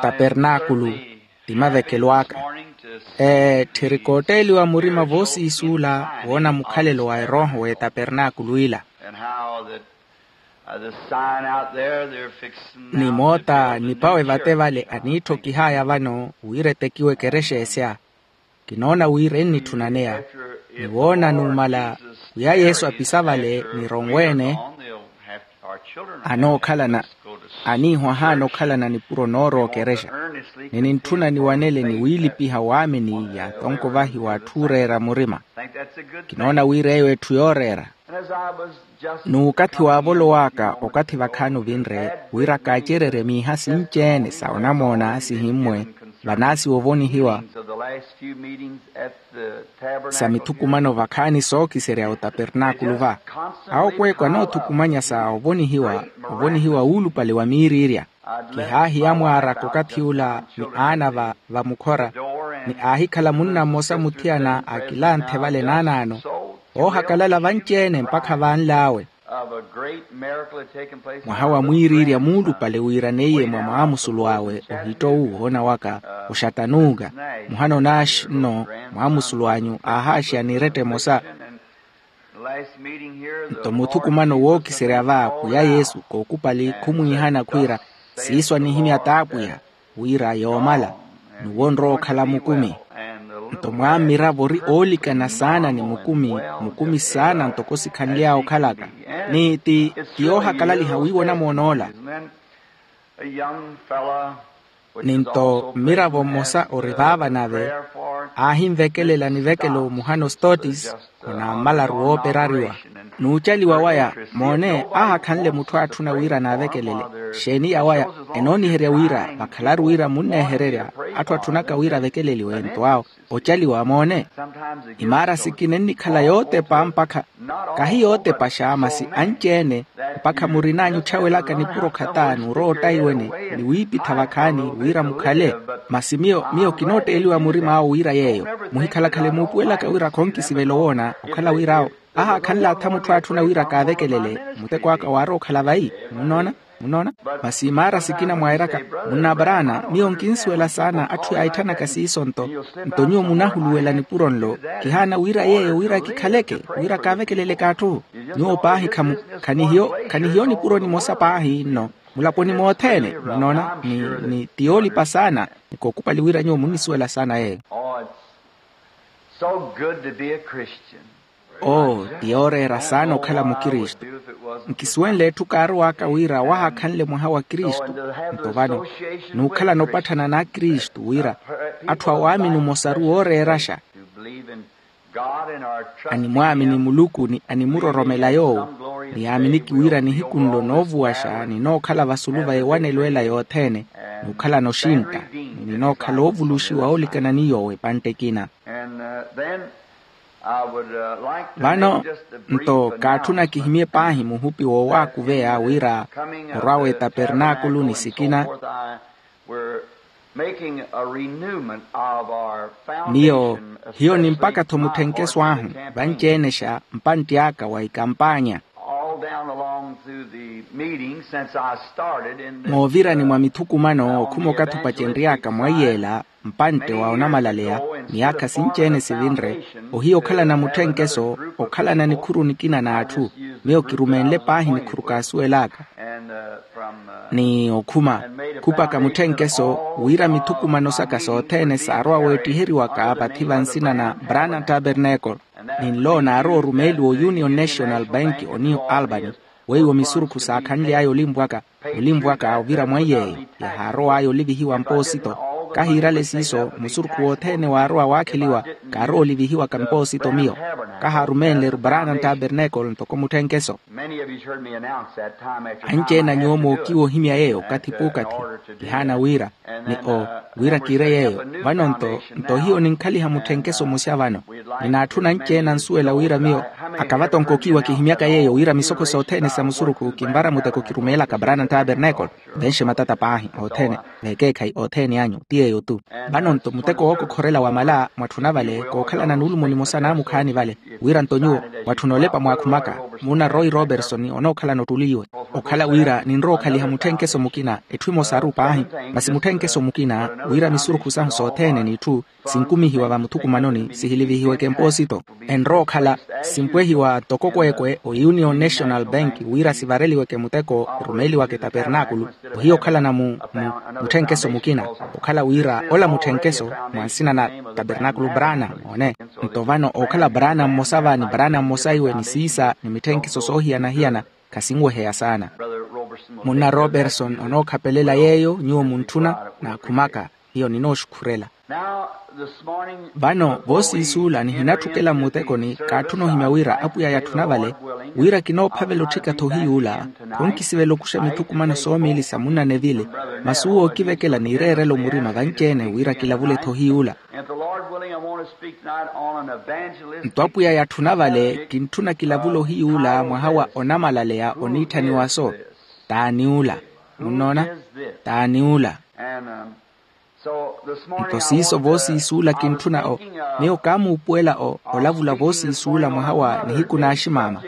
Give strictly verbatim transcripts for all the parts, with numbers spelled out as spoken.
Tabernaakulu ti mavekelo aka. Etthiri kootteeliwa murima voosiisuula woona mukhalelo wa erooho w'etapernaakulu ila. Ni moota nipawe vate vale aniitthokih'aya vano wira etekiwe ekerexa esya. Kinoona wira ennitthuna neya ni woona numala, pwiya yesu apisa vale ni ronwe-ene anookhalana aniiho ahaana okhalana nipuro noorowa okerexa. Ni nintthuna niwanele ni wiilipiha waamini ya atonko vahiwa atthu ooreera murima. Kinoona wira eyo etthu yooreera. N'ukathi waavolowaka okathi vakhaani ovinre wira kaacererye miiha sinci-ene sa onamoona sihimmwe vanaasiwa ovonihiwa sa mithukumano vakhaani sookiserya otapernaakulu va. Awo kweeko anoothukumanya sa ovonihiwa ovonihiwa wuulupale wa miiriirya. Kihaahiya mwaaraka okathi ula ni aana va vamukhora ni aahikhala munna mmosa muthiyana akilanthe vale naanaano oohakalala vanci-ene mpakha vaanl'awe. Mwaha wa mwiiriirya muulupale wiiraneiye mwa mwaamusulu awe ohitto owu woona waka oxatanuuka. Muhana onaaxi nno mwaamusulu anyu aahaaxiya n'iretta emosa. Nto muthukumano wookiserya va pwiya yesu kookupali khumwiihana khwiira siiso anihimya t'apwiya wira yoomala n'uwo onrowa okhala mukumi. Nto mwammiravo ori oolikana saana ni mukumi mukumi saana ntoko sikhanly'awe okhalaka. Ni ti ti yoohakalaliha wiiwa onamwon'ola. Ni nto mmiravo mmosa ori vaava nave aahinvekelela nivekelo muhano stotis. Onammalaru wooperariwa n'ucaliwa waya moone aahakhanle mutthu aatthuna wira naavekelele. Xeeni yawaya enooniherya wira vakhalaru wira munneehererya atthu atthunaka wira avekeleliwe nto awo ocaliwa moone. Imaara sikina ennikhala yootepa mpakha kahi yootepaxa masi anci-ene mpakha murin'anyu otthawelaka nipuro khataani orowa ottayiweni ni wiipitha vakhaani wira mukhale. Masi miyo miyo kinootteeliwa murim'awo wira yeeyo muhikhalakhale muupuwelaka wira khonkisivela owoona okhala wir'awo ahaakhanle atha mutthu aatthuna wira kaavekelele muteko aka waarowa okhala vayi. Munnoona munnoona. Masi imaara sikina mwairaka munna abraana miyo nkinsuwela saana atthu yaahitthanaka siiso nto nto nyuwo munahuluwela nipuro nlo kihaana wira yeeyo wira kikhaleke wira kaavekeleleke atthu. Nyuwo paahi khamu khanihiyo khanihiyo nipuro nimosa paahi nno mulaponi mothene munnoona ni ni ti yoolipa saana. Ni kookupali wira nyuwo munnisuwela saana yeeyo. So good to be a Christian. Oo ti yooreera saana okhala mukristu. Nkisuwenle etthu kaarow'aka wira wahaakhanle mwaha wa kristu. Nto vano n'ukhalana opatthana n'akristu wira atthu awaamini omosaru wooreeraxa animwaamini muluku ni animuroromela yoowo. Niyaaminiki wira nihiku nlo noovuwaxa ninookhala vasulu va ewanelo ela yothene n'ukhalana oxintta ni ninookhala oovuluxiwa oolikana ni yoowo epantte ekina. Vano nto kaatthuna kihimye paahi muhupi woowaakuveya wira orwa w'etapernaakulu ni sikina. Miyo hiyo ni mpakha-tho mutthenkeso ahu vanci-enexa mpantti aka wa ikampaanya. Moovirani mwa mithukumano okhuma okathi opacenry'aka mwaiy'ela mpantte wa onamalaleya miyaakha sinci-ene sivinre. Ohiya okhalana mutthenkeso okhalana nikhuru nikina n'atthu. Miyo kirumenle paahi nikhuru kaasuwel'aka ni okhuma khupaka mutthenkeso wira mithukumano saka sothene saarowa weettiheriwaka vathi va nsina na branham tabernacle. Ni nlo naarowa orumeeliwa o union national bank o new albany weiwo misurukhu saakhanly'aya olimvwaka olimvwaka ovira mweiy'eyo yahaarow'aya olivihiwa mpoosito. Kahiirale siiso musurukhu wothene waarowa waakheliwa kaarowa olivihiwaka mpoosito miyo. Kahaarumeenle-ru branham tabernacle ntoko mutthenkeso. Anci-ene a nyuwo mookiwa ohimya yeeyo okathi p'ukathi kihaana wira ni o wira kiire yeeyo. Vano nto nto hiyo ninkhaliha mutthenkeso musya vano. Ninaatthuna anci-ene ansuwela wira miyo akavatonka okiiwa kihimyaka yeeyo wira misokho sothene sa musurukhu kinvara muteko kirumeelaka brana tabernacle. Venxe matata paahi othene veekeekhayi othene anyu ti yeeyo-tu. Vano-nto muteko wookokhorela wamala mwatthuna vale kookhalana nuulumo nimosa naamukhaani vale wira-nto nyuwo mwatthuna olepa mwaakhumaka. Muuna roy roberson onookhalana ottuli iwe okhala wira ninrowa okhaliha mutthenkeso mukina etthu emosaru paahi. Masi mutthenkeso mukina wira misurukhu sahu sothene n'itthu sinkumihiwa vamuthukumanoni sihilivihiweke mpoosito enrowa okhala simpwehiwa toko kweekwe o union national bank wira sivareliweke muteko erumeeliwaka etapernaakulu ohiya okhalana mu mutthenkeso mukina okhala wira ola mutthenkeso mwa nsina na tapernaakulu brana moone. Nto vano ookhala brana mmosa va ni brana mmosa iwe ni siisa ni mitthenkeso soohiyana-hiyana khasinweheya saana. Munna roberson onookhapelela yeeyo nyuwo muntthuna naakhumaka hiyo ninooxukhurela. Vano voosiisuula nihinatthukela mmutekoni kaatthuna ohimya wira apwiya yatthuna vale wira kinoophavela otthika-tho ohiyuula. Khonkisivela okuxa mithukumano soomiili sa munna neville masi uwo ookivekela niireerela omurima vanci-ene wira kilavule-tho ohiyuula. Nto apwiya yatthuna vale kintthuna kilavule ohiyuula mwaha wa onamalaleya oniitthaniwa-so. T'ani ula? Munnoona? T'ani ula? Nto siiso voosiisuula kintthuna o miyo kaamuupuwela o olavula voosiisuula mwaha wa nihiku n'aximaama.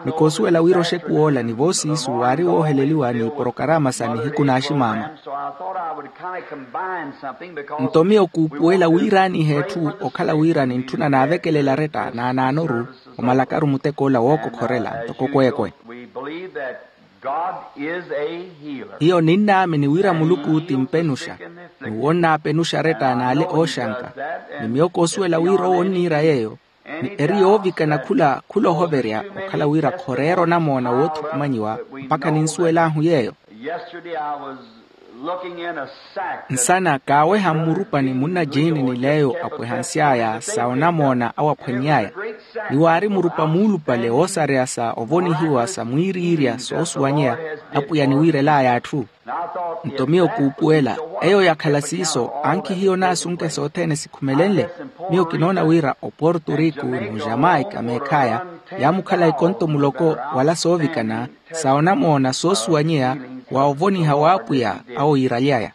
Ni koosuwela wira oxekuw'ola ni voosiisu waari wooheleliwa n'iporokaraama sa nihiku n'aximaama. Nto miyo kuupuwela wiiraaniha etthu okhala wira nintthuna naavekelela aretta naanaanoru omalakaru mutek'ola wookokhorela ntoko kweekwe. Hiyo ninnaamini wira muluku ti mpenuxa. Ni wonnaapenuxa aretta n'ale ooxanka. Ni miyo koosuwela wira owo onniira yeeyo ni eri yoovikana khula khula ohoverya okhala wira khoreera onamoona woothukumanyiwa. Mpakha ninsuwel'ahu yeeyo. Nsana kaaweha mmurupani munna jiini ni leeyo apwehansy'aya sa onamoona awaphwany'aya. Ni waari murupa muulupale woosareya sa ovonihiwa sa mwiiriirya soosuwanyeya apwiya niwiirel'aya atthu. Nto miyo kuupuwela eyo yakhala siiso ankhi hiyo naasunke sothene sikhumelenle. Miyo kinoona wira oporto rico n'ojamaika meekh'aya yaamukhala ekonto muloko wala soovikana sa onamoona soosuwanyeya wa ovoniha w'apwiya awo yiiraly'aya.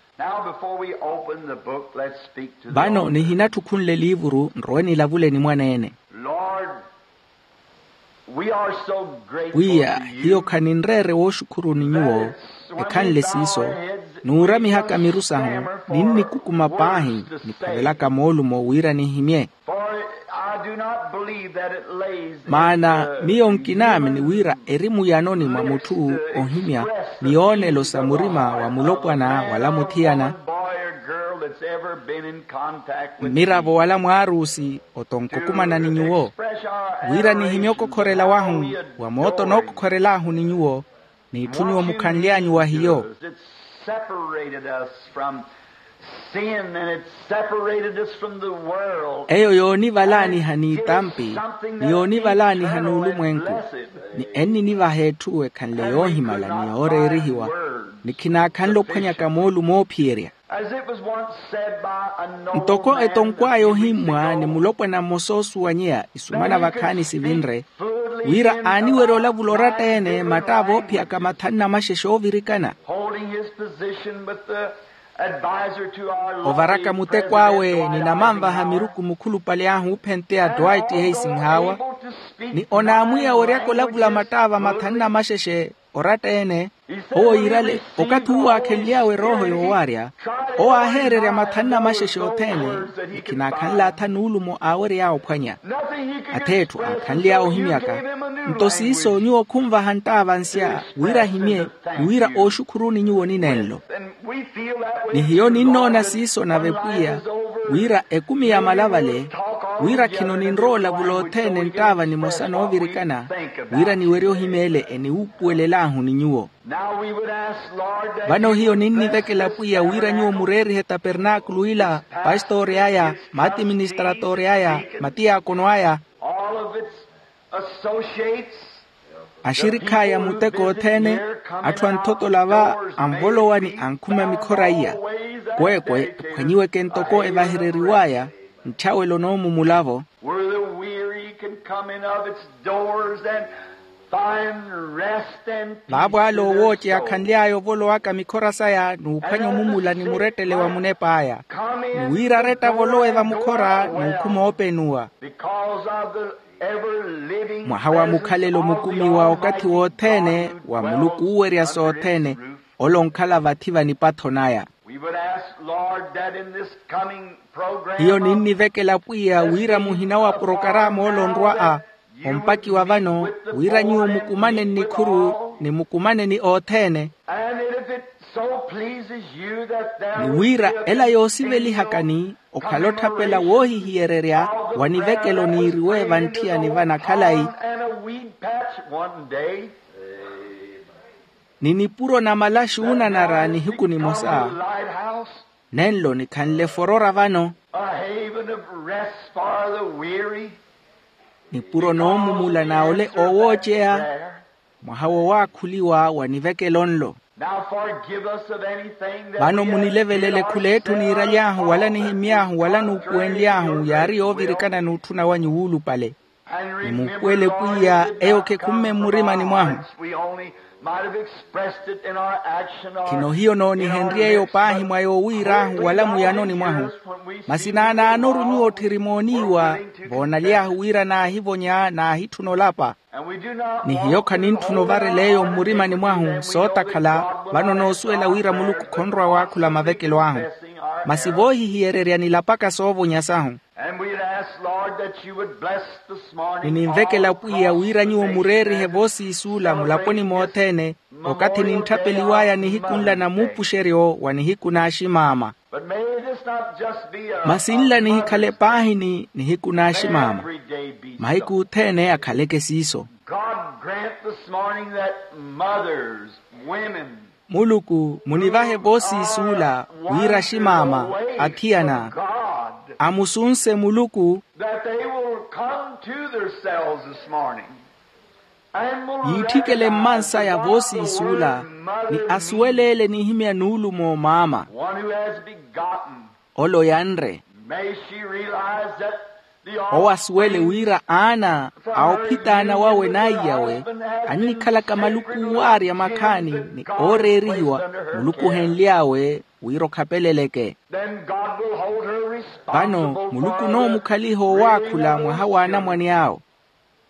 Vano nihinatthi okhunle eliivuru nrowe nilavule ni mwaneene. Pwiya hiyo khaninreere wooxukhuruni nyuwo. Ekhanle siiso nuuramihaka miru sahu ninnikukuma paahi niphavelaka moolumo wira nihimye. Maana miyo nkinaamini wira eri muyanoni mwa mutthu ohimya miyoonelo sa murima wa mulopwana wala muthiyana, mmiravo wala mwaarusi otonkokumana ni nyuwo wira nihimye okokhorela wahu wa mooto nookokhorel'ahu ni nyuwo. N'itthu nyuwo mukhanly'anyu wa hiyo. Separated us from sin and it separated us from the world. Eyo yoonivalaaniha n'itampi ni yoonivalaaniha n'ulumwenku. Ni enninivaha etthu ekhanle yoohimala ni yooreerihiwa ni khinaakhanle ophwanyaka moolumo oophiyerya. Ntoko etonkw'aya ohimmwa ni mulopwana mmosa oosuwanyeya isumana vakhaani sivinre wira aaniwerya olavula oratta-ene matta avoophiyaka mathanu na maxexe oovirikana. Ovaraka muteko awe ni namanvaha miruku mukhulupale ahu ophenteya dwight heisinhaawa ni onaamwiya weryaka olavula mattaava mathanu na maxexe oratta-ene. Owo yiirale okathi uwo aakhenly'awe erooho yoowaarya owo aaheererya mathanu na maxexe othene ni khinaakhanle atha nuulumo aawery'awe ophwanya. Ath'etthu aakhanly'awe ohimyaka nto siiso nyuwo khunvaha nttaava nsya wira ahimye ni wira ooxukhuruni nyuwo ninenlo. Ni hiyo ninnoona siiso nave pwiya wira ekumi yamala vale wira khino ninrowa olavula othene nttaava nimosa noovirikana wira niwerye ohimya ele eniwuupuwelel'ahu ni nyuwo. Vano hiyo ninnivekela pwiya wira nyuwo mureerihe tapernaakulu ila, pastori aya, matiministratori aya, matiyaakono aya, axirikh'aya muteko othene, atthu anthotola va anvolowa ni ankhuma mikhora iya. Kweekwe ephwanyiweke ntoko evahereriw'aya ntthyawelo n'omu mulavo. Coming of its doors and find rest and peace. Vaavo ale owooceya akhanly'aya ovolowaka mikhora saya n'uphwanya omumula ni murettele wa munep'aya. Ni wira aretta avolowe vamukhora n'ukhuma oopenuwa. Because of the ever living mwaha wa mukhalelo mukumiwa okathi wothene wa muluku uuwerya sothene, ole onkhala vathi va nipatho naya. We would ask, Lord, that in this coming program hiyo ninnivekela pwiya wira muhina wa porokarama ole onrwa-a ompakiwa vano, wira nyuwo mukumane nnikhuru ni mukumane ni othene. And if it so pleases you that there ni wira ela yoosivelihakani okhala otthapela woohihiyererya wa nivekelo niiriwe vantthiyani vana khalayi. And a weed patch one day. Ni nipuro na malaxi oonanara nihiku nimosa. Lighthouse. Nenlo nikhanle forora vano. A haven of rest for the weary. Nipuro noomumula na ole oowooceya. Mwaha wo waakhuliwa wa nivekelo nlo. Now forgive us of anything that vano we have munilevelele did or khul'etthu said niiraly'ahu wala or nihimmy'ahu wala nuupuwenly'ahu yaari yoovirikana n'utthuna wanyu wuulupale. Ni muupuwele pwiya eyo khikhumme mmurimani mwahu. Khino hiyo noonihenrye eyo paahi mwa yoowiir'ahu wala muyanoni mwahu. Masi naanaanoru nyuwo otthiri mooniiwa voonaly'ahu wira naahivonya naahitthuna olapa. Ni hiyo khanintthuna ovarela eyo mmurimani mwahu sootakhala. Vano noosuwela wira muluku khonrowa waakhula mavekelo ahu. Masi voohihiyererya nilapaka soovonya sahu. Ni ninvekela pwiya wira nyuwo mureerihe voosiisuula mulaponi mothene okathi nintthapeliw'aya nihiku nla na muupuxeryo wa nihiku n'aximaama. Masi nla nihikhale paahi ni nihiku n'aximaama. Mahiku othene akhaleke siiso. Muluku munivahe voosiisuula wira aximaama, athiyana amusunse muluku. Yiitthikele mmansaya voosiisuula ni asuweleele nihimya nuulumo maama. Ole oyanre. Owo asuwele wira aana a ophitaana wawe n'aiyawe annikhalaka maluku owaarya makhaani ni ooreerihiwa muluku ohenly'awe wira okhapeleleke. Vano muluku onoomukhaliha owaakhula mwaha w'anamwane awo.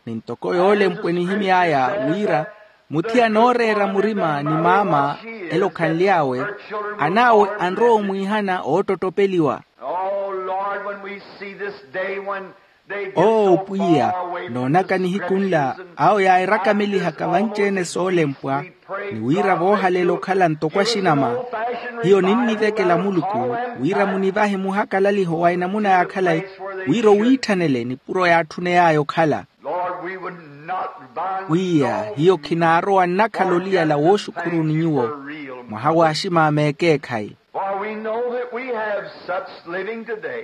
Ni ntoko yoolempwe nihimy'aya wira muthiyana ooreera murima ni maama ele okhanly'awe an'awe anrowa omwiihana oottottopeliwa. Oo pwiya, noonaka nihiku nla awo yaahirakamelihaka vanci-ene soolempwa ni wira voohalela okhala ntoko axinama. Hiyo ninnivekela muluku wira munivahe muhakalaliho wa enamuna ya khalayi wira owiitthanele nipuro yaatthuney'aya okhala. Pwiya hiyo khinaarowa nnakhala oliyala wooxukhuru ni nyuwo mwaha w'aximaama ekeekhayi.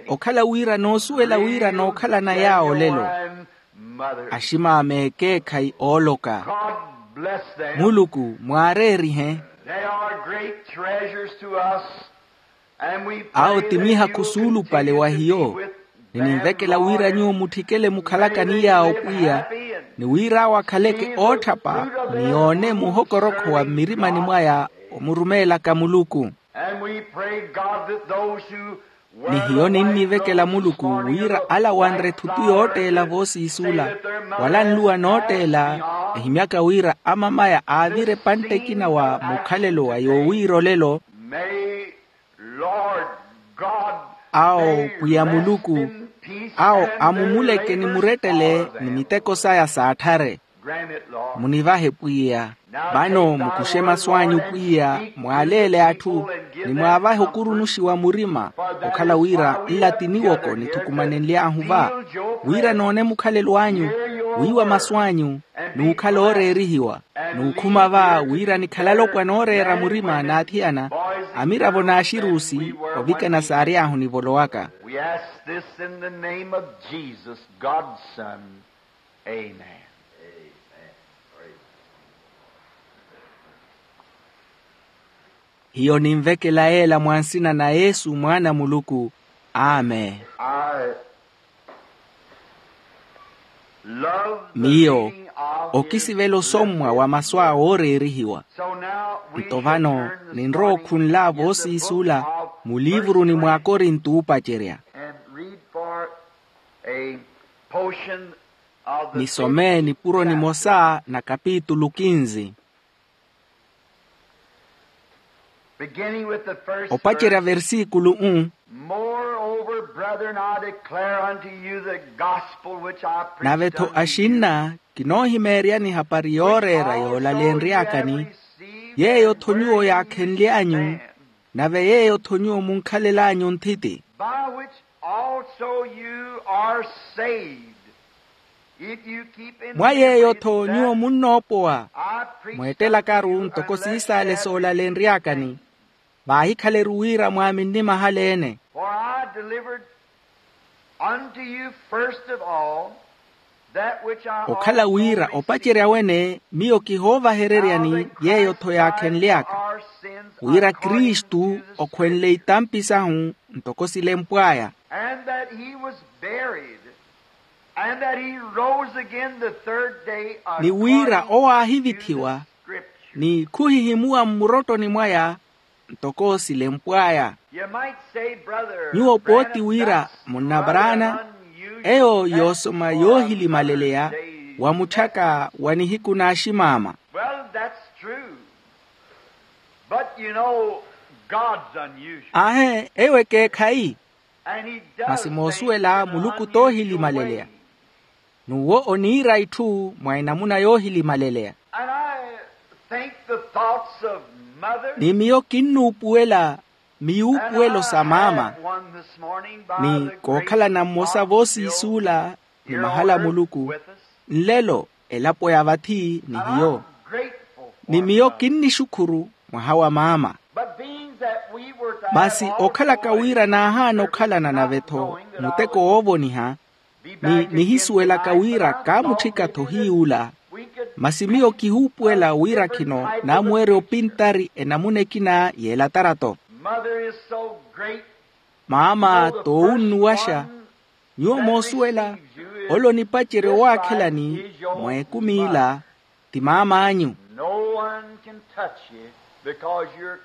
Okhala wira noosuwela wira nookhalana yaawo olelo aximaama ekeekhayi ooloka. Muluku mwaareerihe. Awo ti mihakhu suulupale wa hiyo. Ni ninvekela wira nyuwo mutthikele mukhalaka ni yaawo pwiya ni wira awo akhaleke ootthapa ni yoone muhokorokho wa mmirimani mwaya omurumeelaka muluku. Ni hiyo ninnivekela muluku wira ala wanre thutu yootteela voosiisuula wala nluwa nootteela ehimyaka wira amamaya aavire epantte ekina wa mukhalelo wa yoowiira olelo. Awo pwiya muluku awo amumuleke ni murettele ni miteko saya saatthare. Munivahe pwiya. Vano mukuxe masu anyu pwiya mwaaleele atthu ni mwaavahe okurunuxiwa murima okhala wira nla ti niwoko nithukumanenly'ahu va wira noone mukhalelo anyu wiiwa masu anyu n'ukhala ooreerihiwa n'ukhuma va wira nikhala alopwana ooreera murima n'athiyana amiravo n'axiruusi ovikana saary'ahu nivolowaka. We ask this in the name of Jesus, God's Son. Amen. Hiyo ninvekela yeela mwa nsina na yesu mwaana a muluku. Amen. I Miyo okisivela osommwa wa masu a wooreerihiwa. Nto vano ninrowa okhunl'avo oosiisula muliivuruni mw'akorinto oopacerya. Nisome nipuro nimosa na kapitulu kinzi. Beginning with the first verse. Opacerya versikulu um. Moreover, brethren, I declare unto you the gospel which I preached unto you, nave-tho axinna kinoohimeeryani ehapari yooreera yoolalenry'akani, yeeyo-tho nyuwo yaakhenly'anyu, nave yeeyo-tho nyuwo munkhalel'anyu nthiti. By which also you are saved, if you keep in him. Mwa yeeyo-tho nyuwo munnoopowa, mweettelakaru ntoko siisaale soolalenry'akani, vaahikhale-ru wira mwaaminni mahala-ene. For I delivered unto you first of all that which I also received, okhala wira opacerya wene miyo kihoovahereryani, yeeyo-tho yaakhenly'aka, wira kristu okhwenle itampi sahu ntoko silempw'aya. And that he was buried, and that he rose again the third day, ni wira owo aahivithiwa, according to the scripture, ni khuhihimuwa mmurottoni mwaya ntoko silempw'aya. You might say, brother, nyuwo pooti wira, munna Branham, eyo yoosoma yoohilimaleleya wa mutthaka wa nihiku n'aximaama. Well, that's true. But you know, God's unusual. Aahe, eyo ekeekhayi. And he does things in an unusual way. Masi moosuwela muluku toohilimaleleya. N'uwo oniira itthu mwa enamuna yoohilimaleleya. And I think the thoughts of mother. Ni miyo kinnuupuwela miyuupuwelo sa maama. And I had one this morning by the grace of God, ni kookhalana mmosa voosiisuula ni mahala a muluku, nlelo elapo ya vathi ni hiyo. Ni miyo kinnixukhuru mwaha wa maama. Masi okhalaka wira naahaana okhalana nave-tho muteko woovoniha, ni nihisuwelaka wira kaamutthika-tho hiy'ula, masi miyo kihuupuwela wira khino naamuwerya opintari enamuna ekina y'elatarato. Maama t'owunnuwaxa. Nyuwo moosuwela, ole onipacerya owaakhelani mwa ekumi ila ti maam'anyu.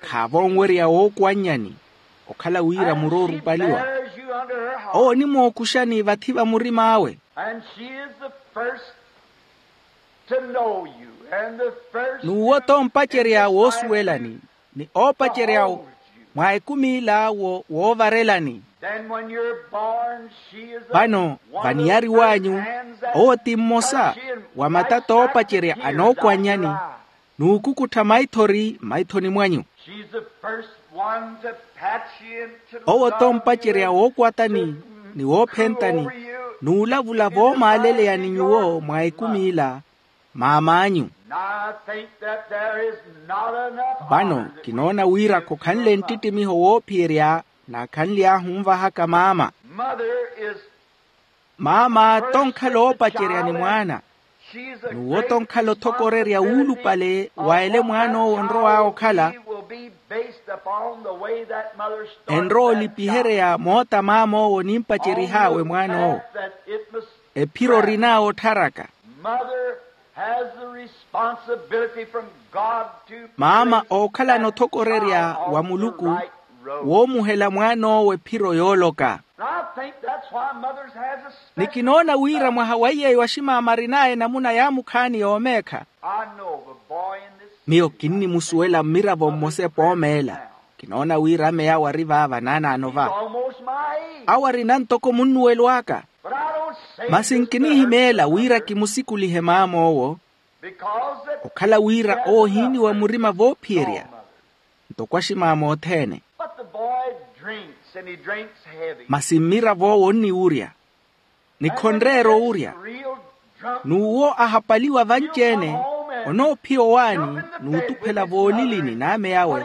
Khaavonwerya wookwannyani, okhala wira muroorupaliwa. Owo onimookuxani vathi va murim'awe. N'uwo t'ompacerya woosuwelani, ni oopacerya mwa ekumi ila woovarelani. Vano vaniyariw'anyu, owo ti mmosa wa matata oopacerya anookwannyani, n'ukukuttha maithori maithoni mwanyu. Owo t'ompacerya wookwatani ni woophentani, n'ulavula voomaaleleyani nyuwo mwa ekumi ila, maam'anyu. Vano kinoona wira khokhanle nttitimiho woophiyerya naakhanly'ahu onvahaka maama. Maama t'onkhala oopacerya ni mwaana. N'uwo t'onkhala othokorerya wuulupale wa ele mwaan'owo onrow'awe okhala. Enrowa olipiherya moota maam'owo onimpacerih'awe mwaan'owo. Ephiro orin'awe ottharaka. Maama ookhalana othokorerya wa muluku woomuhela mwaan'owo ephiro yooloka. Ni kinoona wira mwaha wa iy'eyo aximaama arin'aya enamuna yaamukhaani yoomeekha. Miyo kinnimusuwela mmiravo mmosa epoomeela. Kinoona wira ameyawe ari vaava naanaano va. Awo arina ntoko munnuwelo aka. Masi nkinihimeela wira kimusikulihe maam'owo, okhala wira owo ohiiniwa murima voophiyerya ntoko aximaama othene. Masi mmirav'owo onniwurya, ni khonreera owurya. N'uwo ahapaliwa vanci-ene, onoophiya owaani n'utukhwela voolilini n'ame awe,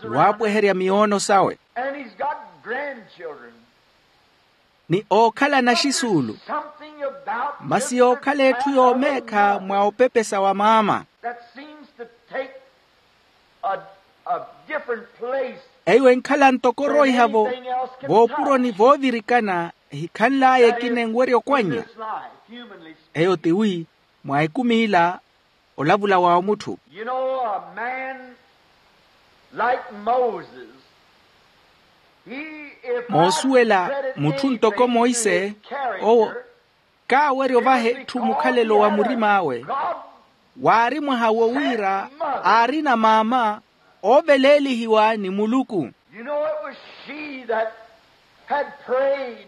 ni waapweherya miyoono sawe. Ni ookhala naxisuulu. Masi yookhala etthu yoomeekha mwa opepesa wa maama. Eyo enkhala ntoko oroiha-vo voopuroni voovirikana. ehikhanl'aya ekina enwerya okwannya. Eyo tiwi mwa ekumi ila olavula wa omutthu. You know, a man like Moses, he, if moosuwela, mutthu ntoko moise, owo kaawerya ovaha etthu mukhalelo wa murim'awe, waari mwaha wo wira aarina maama ooveleelihiwa ni muluku. You know, it was she that had prayed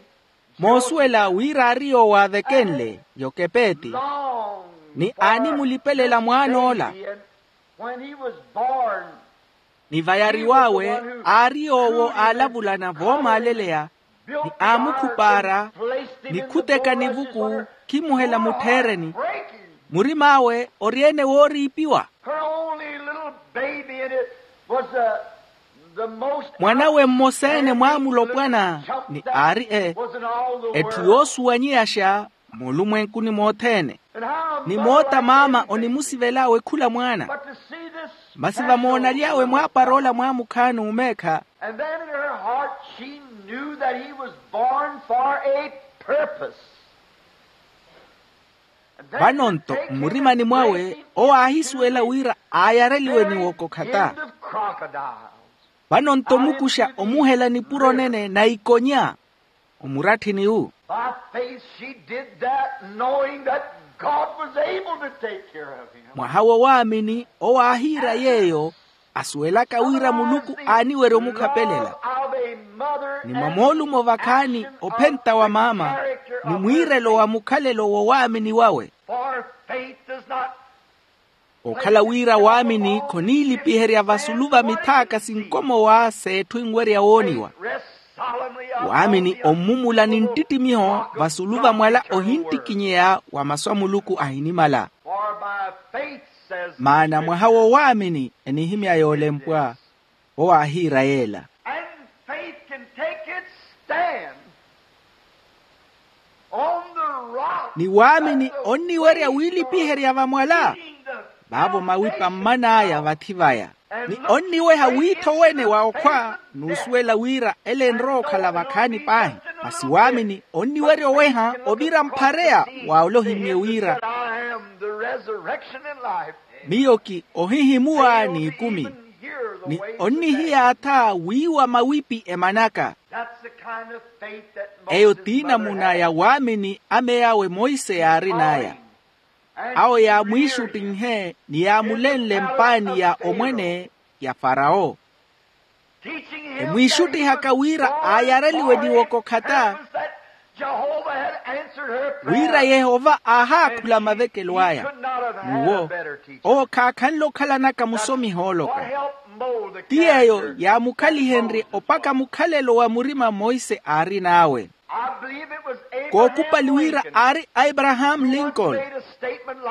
moosuwela wira aari yoowo aavekenle yokepeeti, ni aanimulipelela mwaan'ola. Ni vayariw'awe aari yoowo aalavulana voomaaleleya, ni aamukhupaara, ni khuteka nivuku khimuhela mutthereni. Murim'awe ori-ene wooriipiwa. Her only little baby in it was the, the most mwanawe mmosa-ene mwaamulopwana, ni aari e etthu yoosuwanyeyaxa moolumwenkuni mothene. Ni moota maama onimusivel'awe khula mwaana. Masi vamoonaly'awe mwaapar'ola mwaamukhaani omeekha. And then in her heart she knew that he was born for a purpose. Vano-nto mmurimani mwawe owo aahisuwela wira aayareliwe ni wokokhata. Vano-nto mukuxa omuhela nipuro nene na ikonya omuratthini wu. By faith she did that, knowing that God was able to take care of him. Mwaha wo waamini owo aahiira yeeyo, asuwelaka wira muluku aaniwerya omukhapelela. Ni mwa moolumo vakhaani ophenta wa maama ni mwiirelo wa mukhalelo wo waamini wawe. For faith does not okhala wira waamini khoniilipiherya vasulu va mithaaka sinkomowa s'etthu enwerya wooniwa. Waamini ommumula ni nttittimiho vasulu va mwala ohintikinyeya wa masu a muluku ahinimala. Maana mwaha wo waamini enihimya yoolempwa owo aahiira yeela. And faith can take its stand on the rock. Ni waamini onniwerya wiilipiherya vamwala vaavo mawipa mman'aya vathi vaya. Ni onniweha wiitho wene wa okhwa n'usuwela wira ele enrowa okhala vakhaani paahi. Masi waamini onniwerya oweha ovira mphareya wa ole ohimmye wira, I am the resurrection and life. Miyo ki ohihimuwa n'ikumi. Ni onnihiyaatha wiiwa mawipi emanaka. Eyo t'inamuna ya waamini ameyawe monse yaarin'aya. Awo yaamwiixuttinhe ni yaamulenle mpaani ya omwene ya farawo, emwiixuttihaka wira aayareliwe ni wokokhata, wira yehova aahaakhula mavekelo aya. N'uwo owo khaakhanle okhalanaka musomi hooloka. Ti yeeyo yaamukhalihenrye opaka mukhalelo wa murima monse aarin'awe. Kookupali wira aari a abrahaamu lincoln.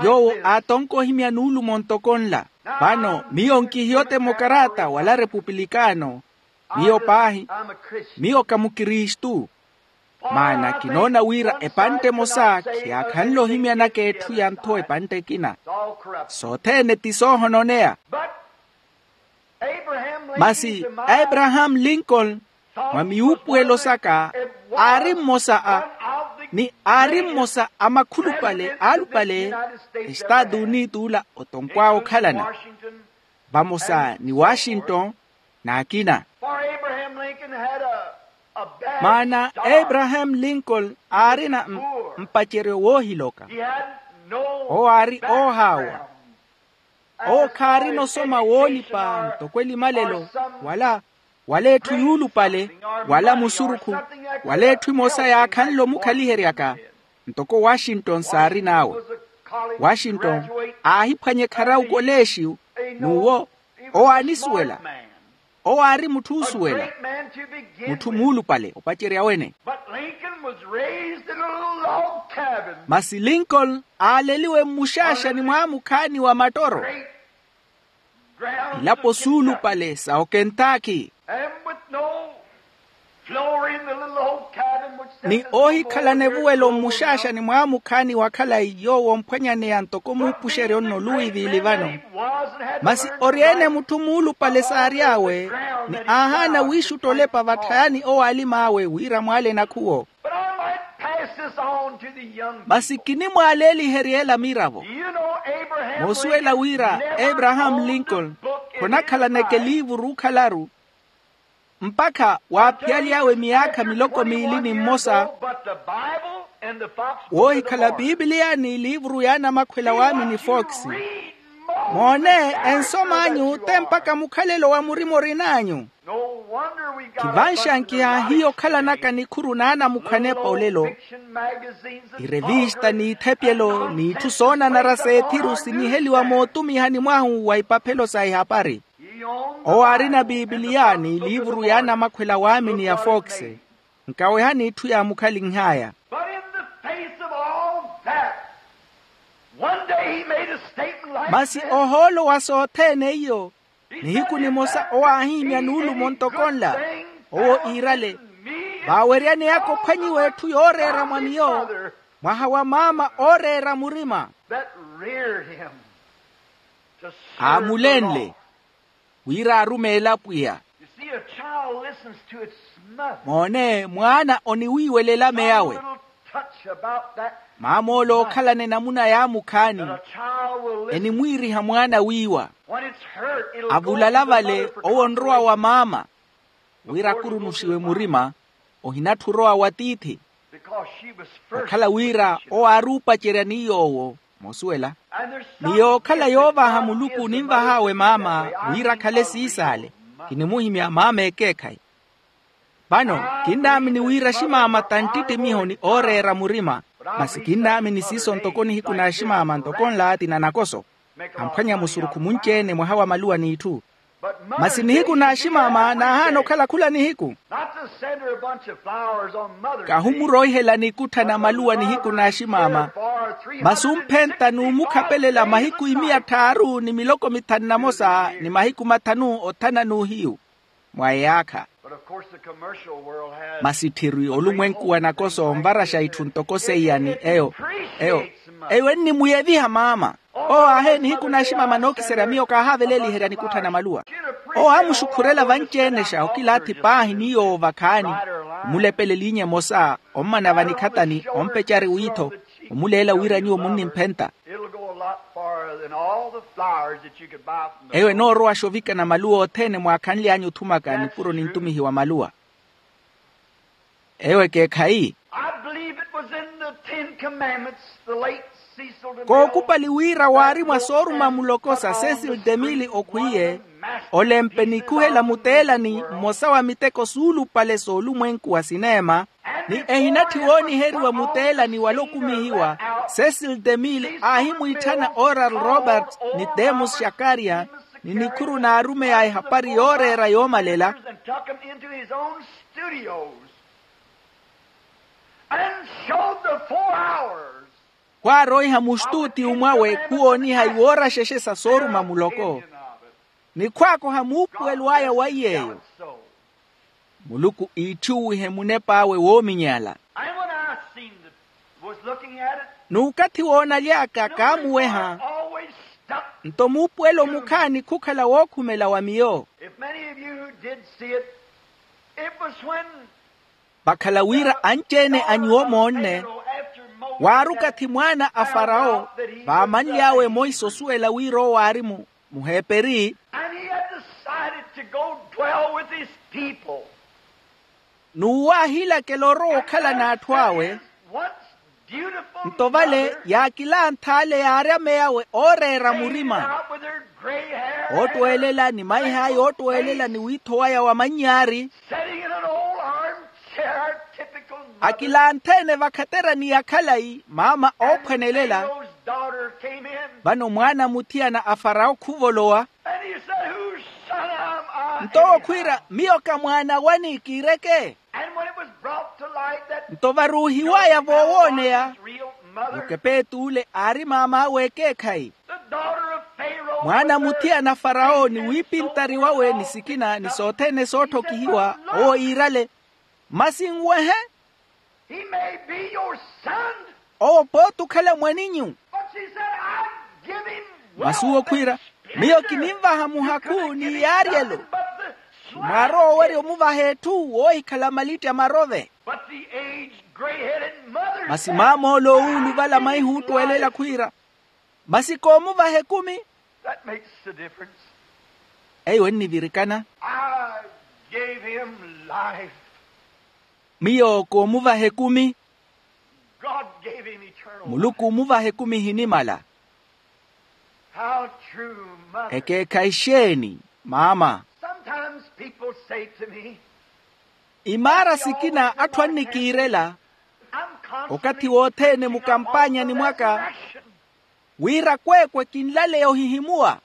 Yoowo aatonka ohimya nuulumo ntoko nla. Vano miyo nkihiyo temokaraata wala repupilikaano. Miyo paahi, miyo ka mukristu. Maana kinoona wira epantte emosa khiyaakhanle ohimyanaka etthu ya ntho epantte ekina. Sothene ti soohononeya. Masi abrahaamu lincoln mwa miyuupuwelo saka aari mmosa a ni aari mmosa a makhulupale aalupale estaatu uniti ula otonkw'awe okhalana vamosa ni washington n'akina. Maana abrahaamu lincoln aarina mpaceryo woohiloka. Owo aari oohaawa. Owo khaarina osoma woolipa ntoko elimalelo wala wala etthu yuulupale wala musurukhu wala etthu emosa yaakhanle omukhaliheryaka. Ntoko washington saarin'awe. Washington aahiphwanya ekharawu koleexiyu n'uwo owo aanisuwela. Owo aari mutthu oosuwela mutthu muulupale opacerya wene. Masi lincoln aaleliwe mmuxaaxani mwaamukhaani wa mattoro ilapo suulupale sa okentaki. Ni oohikhalana evuwelo mmuxaaxani mwaamukhaani wa khalayi yoowo omphwanyaneya ntoko muupuxeryo nno luwiivili vano. Masi ori-ene mutthu muulupale saary'awe ni aahaana wiixutta olepa vatthayani owo aalim'awe wira mwaale nakhuwo. Masi kinimwaaleeliherya ela miravo. Moosuwela wira ebrahaamu lincoln khonakhalaneke liivuru okhalaru, mpakha waaphiyaly'awe miyaakha miloko miili ni mmosa. Woohikhala piipiliya ni liivuru y'anamakhwela waamini fooksi. Moone, ensom'anyu te mpakha mukhalelo wa murima orin'anyu. Khivanxankiha hiyo okhalanaka nikhuru n'anamukhwanepa olelo. Irevista n'ithepyelo n'itthu soonanara s'ethiru siniheliwa mootumihani mwahu wa ipaphelo sa ihapari. Owo aarina piipiliya ni liivuru y'anamakhwela waamini ya fooksi. Nkawehani itthu yaamukhalinh'aya. But in the face of all that, one day he made a statement like masi this. Ohoolo wa sothene iyo, nihiku nimosa owo aahihimya nuulumo ntoko nla. Owo iirale, vaaweryaneyaka ophwanyiwa etthu yooreera mwa miyo, mwaha wa maama ooreera murima. That reared him to serve the Lord. Aamulenle wira arumeele apwiya. You see, a child listens to its mother. Moone, mwaana oniwiiwelela meyawe. Some little touch about that maam'ole mother ookhalana enamuna yaamukhaani, that a child will listen enimwiiriha mwaana wiiwa. When it's hurt, it'll go to the mother for consolation. Avulalavale owo onrowa wa maama wira akurunuxiwe murima, ohinatthi orowa wa tiithi. Because she was first. Okhala wira owo aari opacerya ni yoowo. Moosuwela. Ni yookhala yoovaaha muluku oninvah'awe maama wira akhale siisaale. Kinimuhimya maama ekeekhayi. Vano kinnaamini wira aximaama ta nttittimiho ni ooreera murima. Masi kinnaamini siiso ntoko nihiku n'aximaama ntoko nla ti nanakoso. Amphwanya musurukhu munci-ene mwaha wa maluwa n'itthu. Masi nihiku n'aximaama naahaana okhala khula nihiku. Not to send her a bunch of flowers on Mother's Day. Kahimuroihela nikutthana maluwa nihiku n'aximaama. Masi omphenta n'umukhapelela mahiku imiya tthaaru ni miloko mithanu na mosa ni mahiku mathanu othana n'uhiyu mwa eyaakha. But of course the commercial world has. Masi tthiri olumwenku wa nakoso onvaraxa itthu ntoko seiya ni eyo eyo eyo ennimuyeviha maama. Owo aahe nihiku n'aximaama nookiserya miyo kaahaaveleeliherya nikutthana maluwa. Owo aamuxukhurela vanci-enexa okilaathi paahi ni yoowo vakhaani. Omulepelela inya emosa ommana vanikhatani ompecari wiitho. Omuleela wira nyuwo munnimphenta. It'll go a lot farther than all the flowers that you could buy from the eyo enoorowaxa ovikana maluwa othene mwaakhanly'anyu othumaka nipuro nintumihiwa maluwa. Eyo ekeekhayi. I believe it was in the Ten Commandments, the late Cecil DeMille. Kookupali wira waari mwa sooruma muloko sa Cecil DeMille okhwiye, olempe nikhuhela muteelani mmosa wa miteko suulupale s'olumwenku wa sineema, ni ehinatthi wooniheriwa muteelani wala okumihiwa. Cecil DeMille aahimwiitthana Oral Roberts ni Demus Shakarian ni nikhuru n'arumeyi a ehapari yooreera yoomalela. And took him into his own studios and showed the four hours. Khwaaroiha muxtuutiyu mwawe khuwooniha iwooraxexe sa sooruma muloko ni khwaakoha muupuwelo aya wa iy'eyo. Muluku iitthuwihe munep'awe woominyala. And when I seen the, was looking at it, n'ukathi woonaly'aka kaamuweha. Always stuck. Nto muupuwelo mukhaani khukhala wookhumela wa miyo. If many of you who did see it, it was when vakhala wira anci-ene a nyuwo moonne. Waari okathi mwaana a farawo vaamanly'awe emoisa osuwela wira owo aari mu muheperi. And he had decided to go dwell with his people. N'uwo aahilakela orowa okhala n'atthu awe. Nto vale yaakilanthaale yaari ameyawe ooreera murima, oottweelela ni maiha aya oottweelela ni wiitho waya wa mannyaari. Akilanthe-ene vakhaterani ya khalayi maama oophwanelela. Vano mwaana muthiyana a farawo khuvolowa. Nto owo khwiira, miyo ka mwaana wani kiireke? Nto varuuhiw'aya voowooneya, okepeetuule aari maam'awe ekeekhayi. Mwaana muthiyana a farawo ni wiipintari wawe ni sikina ni sothene sootthokihiwa, owo iirale, masi nwehe. He may be your son. Owo pooti okhala mwaninyu. But she said, "I've given him wealth and splendor. Masi owo khwiira, miyo kininvaha muhakhu ni yaaryelo. Mwaari owerya omuvaha etthu woohikhala malitti a marove. But The aged, gray-headed mother. Masi maam'ole owuuluvala maihuuttwelela khwiira, masi koomuvaha ekumi. That makes the difference. Eyo ennivirikana. I gave him life. Miyo koomuvaha ekumi. God gave him eternal life. Muluku omuvaha ekumi ehinimala. How true, mother. Ekeekhayi xeeni, maama. Sometimes people say to me, imaara sikina atthu annikiirela okathi wothene mukampaanyani mwaka, wira kweekwe kinlaleya ohihimuwa.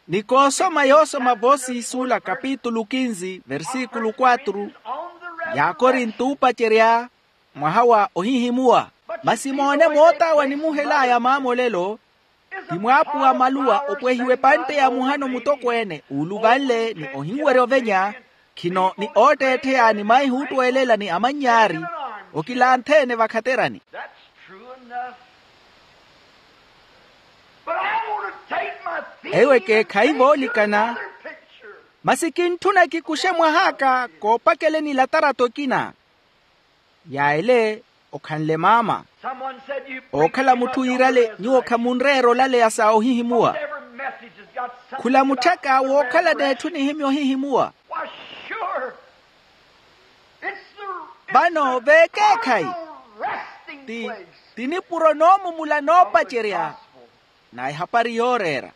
Nikoosoma yoosoma voosiisuula kapitulu kinsi versikulu kwatru, ya akorinto oopacerya, mwaha wa ohihimuwa. Masi moone mootaawa nimuhel'aya maamolelo, ti mwaapuwa maluwa opwehiwa epantte ya muhano mutokweene uuluvanle ni ohinwerya ovenya, khino ni ootteettheya ni maihuuttwelela ni amannyaari, okilanthe-ene vakhaterani. Eyo ekeekhayi voolikana. Masi kintthuna kikuxe mwah'aka koopakeleni latarato ekina. Yaele, okhanle maama. Ookhala mutthu yiirale nyuwo khamunreera olaleya sa ohihimuwa. Khula mutthaka wookhala n'etthu nihimya ohihimuwa. Vano veekeekhayi, ti, ti nipuro noomumula noopacerya na ehapari yooreera.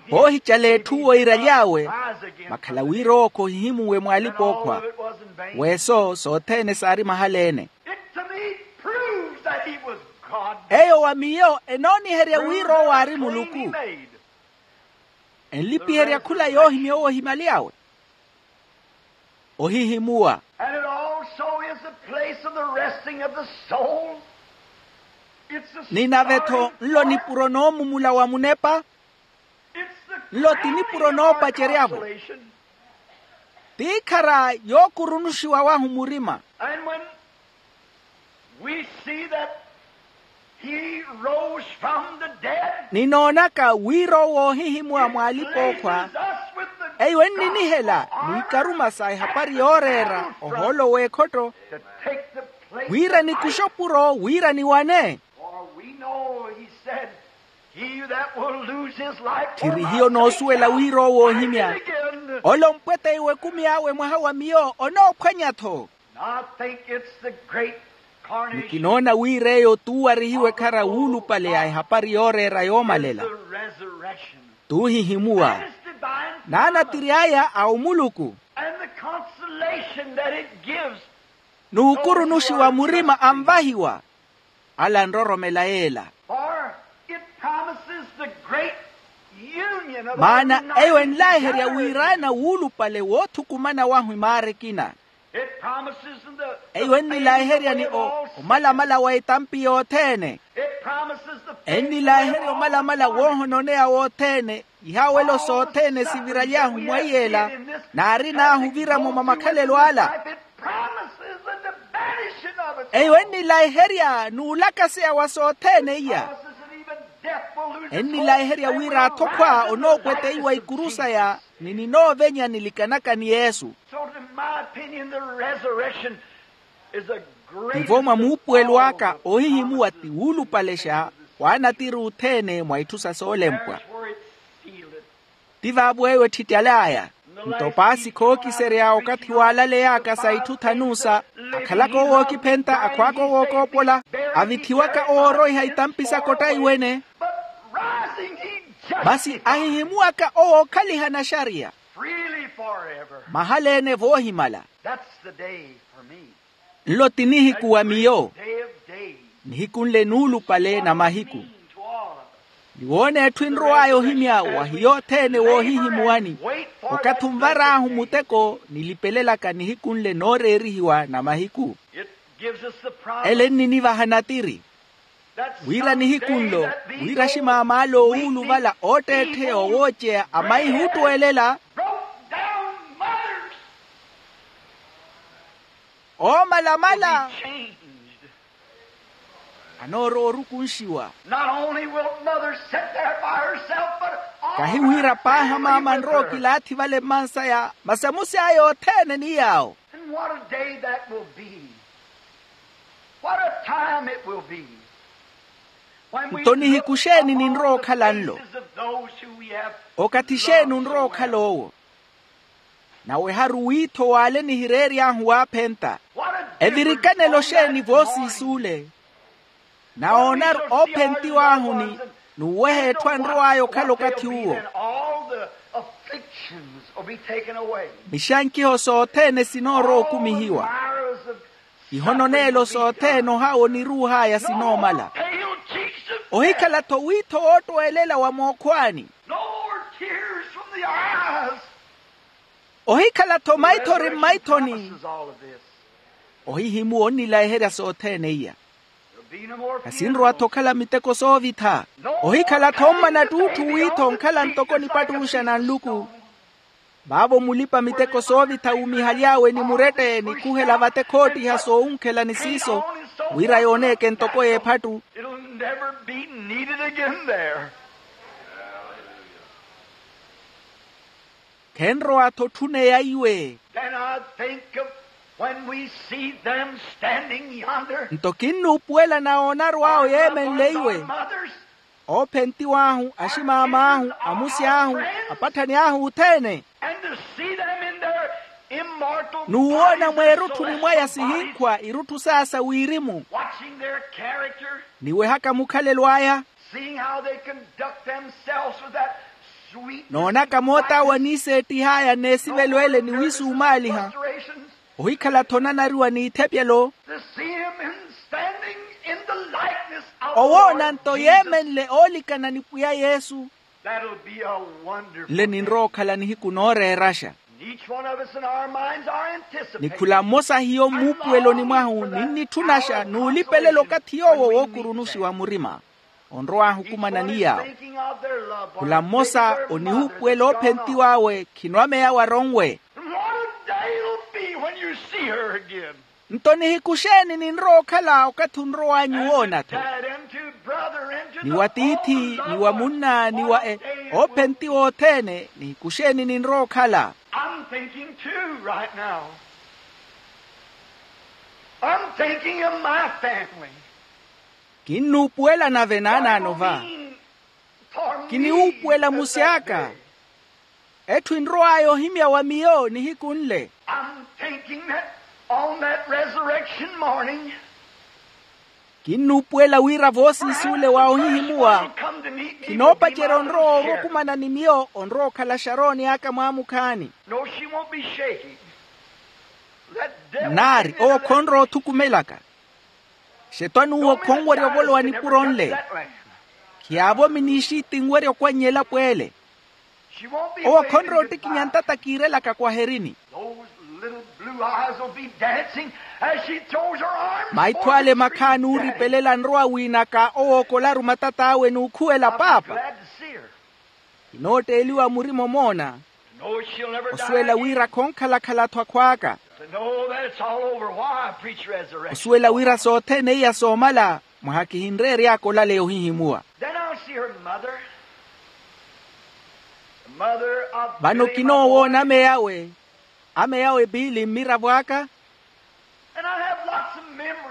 Voohicala etthu woiraly'awe, vakhala wira owo khohihimuwe mw'alipa-ookhwa. Weeso sothene saari mahala-ene. Eyo wa miyo enooniherya wira owo aari muluku. Enlipiherya khula yoohimya owo ohimyaly'awe. Ohihimuwa. Ni nave-tho nlo nipuro noomumula wa munepa. Nlo ti nipuro noopacerya-vo. Tiikhara yookurunuxiwa wahu murima. Ninoonaka wira owo oohihimuwa mw'alipa-ookhwa. Eyo enninihela mwikaruma sa ehapari yooreera ohoolo w'ekhotto, wira nikuxe opuro wira niwane. Tthiri hiyo noosuwela wira owo oohimya, ole ompweteiwa ekumi awe mwaha wa miyo onoophwanya-tho. Ni kinoona wira eyo t'uwarihiwa ekhara wuulupale ya ehapari yooreera yoomalela, t'uhihimuwa, n'anatiri aya a omuluku. N'ukurunuxiwa murima anvahiwa, ala anroromela yeela. Maana eyo enlaiherya wiraana wuulupale woothukumana wahu imaara ekina. Eyo ennilaiherya ni omalamala wa etampi yothene. Ennilaiherya omalamala woohononeya wothene, ihaawelo sothene siviraly'ahu mwaiyela, n'arin'ahu ovira-mo mwa makhalelo ala. Eyo ennilaiherya n'ulakaseya wa sothene iya. Ennilaiherya wira athokhwa onoopweteiwa ikuru saya ni ninoovenya nilikanaka ni yesu. Tivo mwa muupuwelo aka ohihimuwa ti wuulupalexa, waanatiri othene mwa itthu sa soolempwa. Ti vaavo eyo etthittal'aya. Nto paasi khookiserya okathi waalaley'aka sa itthu thanusa, akhalaka owookiphenta akhwaaka owookoopola, avithiwaka owooroiha itampi sa kottaiwene. Masi ahihimuwaka owookhaliha naxariya, mahala-ene voohimala. Nlo ti nihiku wa miyo. Nihiku nle nuulupale na mahiku. Niwoona etthu enrow'aya ohimya wa hiyo othene woohihimuwani. Okathi onvar'ahu muteko nilipelelaka nihiku nle nooreerihiwa na mahiku. Ele enninivaha natiri wira nihiku nlo, wira ximaam'ale owuuluvala ootteettheya owooceya a maihuuttwelela. Oomalamala anoorowa orukunxiwa. Kahi wira paaha maama anrowa okilaathi vale mmansaya masi amusiy'aya othene ni yaawo. What a day that will be. What a time it will be. Nto nihiku xeeni ninrowa okhala nlo? Okathi xeeni onrowa okhala owo? Naweharu wiitho w'ale nihireery'ahu waaphenta. Evirikanelo xeeni voosiis'ule? Nawoonaru oophentiw'ahu ni nuweha etthu anrow'aya okhala okathi uwo. Mixankiho sothene sinoorowa okumihiwa. Ihono neelo sothene ohaawa oniruuh'aya sinoomala. Ohikhala-tho wiitho woottwelela wa mookhwaani. Ohikhala-tho maithori mmaithoni. Ohihimuwa onnilayiherya sothene iya. Khasinrowa-tho okhala miteko soovitha. Ohikhala-tho ommana ttuutthu wiitho onkhala ntoko nipattuxa na nluku. Vaavo mulipa miteko soovitha wumihaly'awe ni murette nikhuhela vate khoottiha soowunkhela ni siiso, wira yooneeke ntoko y'ephattu. Khenrowa-tho otthuneya iwe. Then I think of when we see them standing yonder. Nto kinnuupuwela nawoonaru awo yeemenle iwe. Oophentiw'ahu, aximaam'ahu, amusi ahu, apatthani ahu othene. And to see them in their immortal n'uwoona mweerutthuni mwaya sihinkhwa irutthu saasa wirimu. Watching their character. Niwehaka mukhalelo aya. Seeing how they conduct themselves with that sweetness. Noonaka moota awo aniiseettih'aya n'esivelo ele ni wiisumaaliha. Ohikhala-tho onanariwa n'ithephelo. To see him in standing in the likeness of the Lord Jesus. Owoona nto yeemenle oolikana ni pwiya yesu. That'll be a wonderful day. Nle ninrowa okhala nihiku nooreeraxa. And each one of us in our minds are anticipating. Ni khula mmosa hiyo mmuupuweloni mwahu ninnitthuna xa n'ulipelela okathi yoowo wookurunuxiwa murima. Onrow'ahu okumana ni yaawo. Khula mmosa onihuupuwela oophentiw'awe khino ameya waronwe. Nto nihiku xeeni ninrowa okhala okathi onrow'anyu woona-tho? Ni wa tiithi ni wa munna ni wa e oophentiwa othene nihiku xeeni ninrowa okhala? Kinnuupuwela nave naanaano va. Kiniwuupuwela musy'aka. Etthu enrow'aya ohimya wa miyo nihiku nle. Kinnuupuwela wira voosiisi ole wa ohihimuwa. Kinoopacerya onrowa orwa okumana ni miyo onrowa okhala xarooni aka mwaamukhaani. Nnaari owo khonrowa othukumelaka. Xetwani uwo khonwerya ovolowa nipuro nle. Khiyaavomi n'ixiiti enwerya okwannya elapo ele. Owo khonrowa ottikinya ntata kiirelaka kwaherini. Maitho ale makhaani ooripelela anrowa wiinaka owookolaru matat'awe n'ukhuwela paapa. Kinootteeliwa murima omoona. Osuwela wira khonkhalakhala-tho akhw'aka. Osuwela wira sothene iya soomala mwaha kihinreery'aka olaleya ohihimuwa. Vano kinoowoona amey'awe. Amey'awe piili mmiravo aka.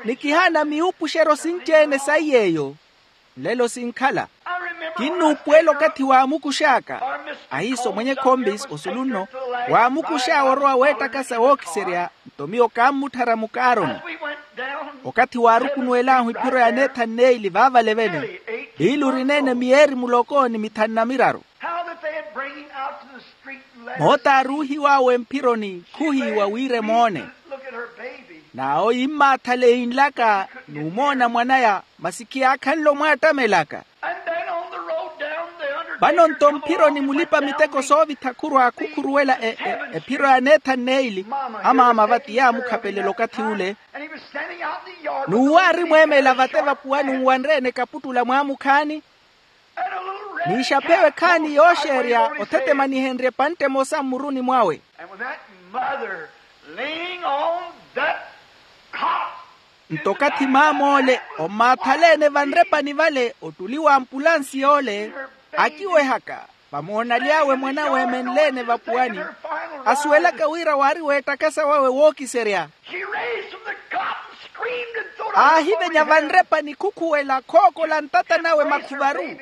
Ni kihaana miwuupuxeryo sinci-ene saiy'eyo. Nlelo sinkhala. Kinnuupuwela okathi waamukux'aka. Ahiiso mwenye khombis osulu nno waamukux'awe orowa weettakasa wookiserya. Nto miyo kaammutthara mukaaroni. Okathi waarukunuwel'ahu ephiro ya neethanu n'eili vaavale vene. Piili orineene miyeeri muloko ni mithanu na miraru. Moota aaruuhiw'awe mphironi khuhiiwa wira emoone. N'awo yimmaathale yinlaka n'umoona mwan'aya. Masi khiyaakhanle omwaattamelaka. Vano nto mphironi mulipa-miteko soovitha khurwa khukhuruwela ephiro ya neethanu n'eili. Amaama vati yaamukhapelela okathi ule. N'uwo aarimweemela vate vapuwani nwanreene kaputtula mwaamukhaani. N'ixaphewe khaani yooxeerya othetemanihenrye epantte emosa mmuruni mwawe. Nto okathi maam'ole ommaathaleene vanrepani vale ottuli w'ampulansi yoole akiwehaka vamoonaly'awe mwan'awe eemenleene vapuwani. asuwelaka wira waari weettakasa wawe wookiserya. Aahivenya vanrepa nikhukhuwela khookola ntata nawe makhuvaru.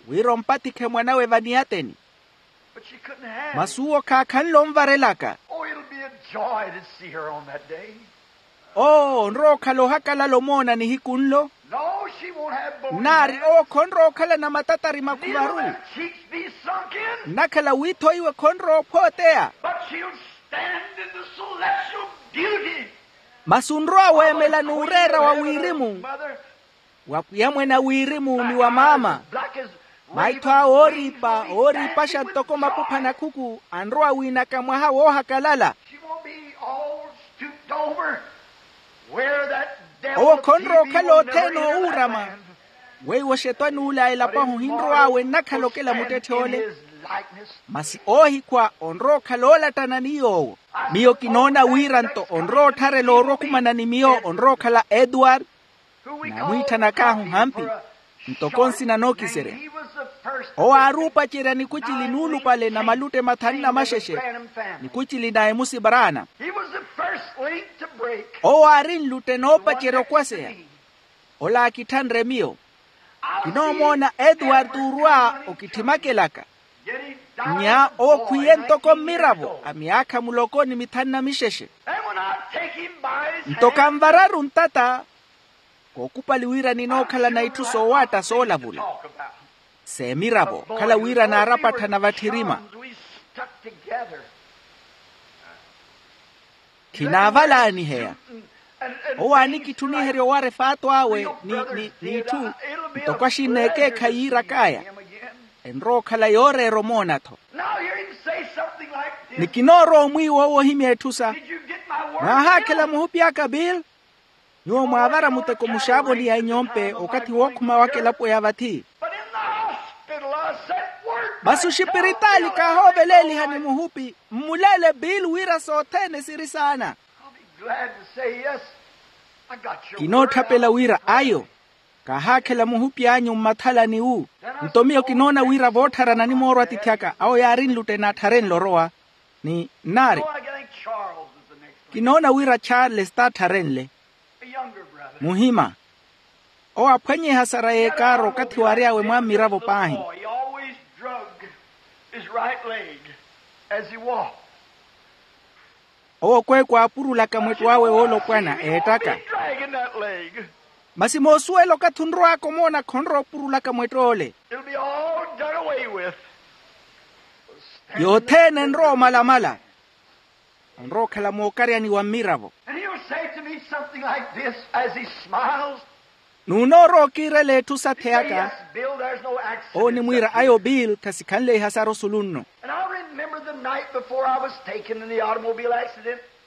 Wira ompatikhe mwanawe vaniyateni. Masi uwo khaakhanle onvarelaka. Oo onrowa okhala ohakalala omoona nihiku nlo. Nari owo khonrowa okhala na matatari makhuvaru. Nnakhala wiitho iwe khonrowa ophooteya. Masi onrowa weemela n'ureera wa wirimu, wa pwiya mwene a wirimu ni wa maama. Maitho awe ooriipa ooriipaxa ntoko mapupha na khuku anrowa wiinaka mwaha woohakalala. Owo khonrowa okhala othene owuurama. Weiwo xetwani ule a elapo ahu ohinrow'awe nnakhala okela muttetthe ole. Masi oohikhwa onrowa okhala oolattana ni yoowo. Miyo kinoona wira nto onrowa ottharela orwa okhumana ni miyo onrowa okhala edward. Naamwiitthana kaahu hampi ntoko nsina nookiserya. Owo aari opacerya nikucili nuulupale na malutte mathanu na maxexe. Nikucili na emusi braana. Owo aari nlutte noopacerya okwaseya. Ole aakitthanre miyo. Kinoomoona edward orwa okitthimmakelaka. Nnya owo khwiiye ntoko mmiravo a myaakha muloko ni mithanu na mixexe. Nto kanvararu ntata. Kookupali wira ninookhalana itthu soowaatta soolavula. S'emiravo okhala wira naarapatthana vatthirima. Khinaavalaaniheya. Owo aanikitthuniherya owara efaato awe n'itthu. Ntoko axinna ekeekhayi yiirak'aya. Enrowa okhala yooreera omoona-tho. Ni kinoorowa omwiiwa owo ohimya etthu sa. Mwaahaakhela muhupi aka bill? Nyuwo mwaavara muteko muxaavoni ya inyompe okathi wookhuma waka elapo ya vathi. Masi oxipiritaali kaahooveleelihani muhupi mmuleele bill wira sothene siri saana. Kinootthapela wira ayo. Kaahaakhela muhupi anyu mmathalani wu. Nto miyo kinoona wira voottharana nimoorwa atiithi aka awo yaari nlutte naattharenle orowa. Ni nnaari kinoona wira charles t'attharenle. Muhima. Owo aphwanye ehasara y'ekaaro okathi waary'awe mwammiravo paahi. Owo kweeku aapurulaka mwetto awe woolopwana eettaka. Masi moosuwela okathi onrow'aka omoona khonrowa opurulaka mwetto ole. Yothene enrowa omalamala. Onrowa okhala mookaryani wa mmiravo. N'unoorowa okiirela etthu satheyaka. Owo onimwiira ayo bill khasikhanle ihasara osulu nno.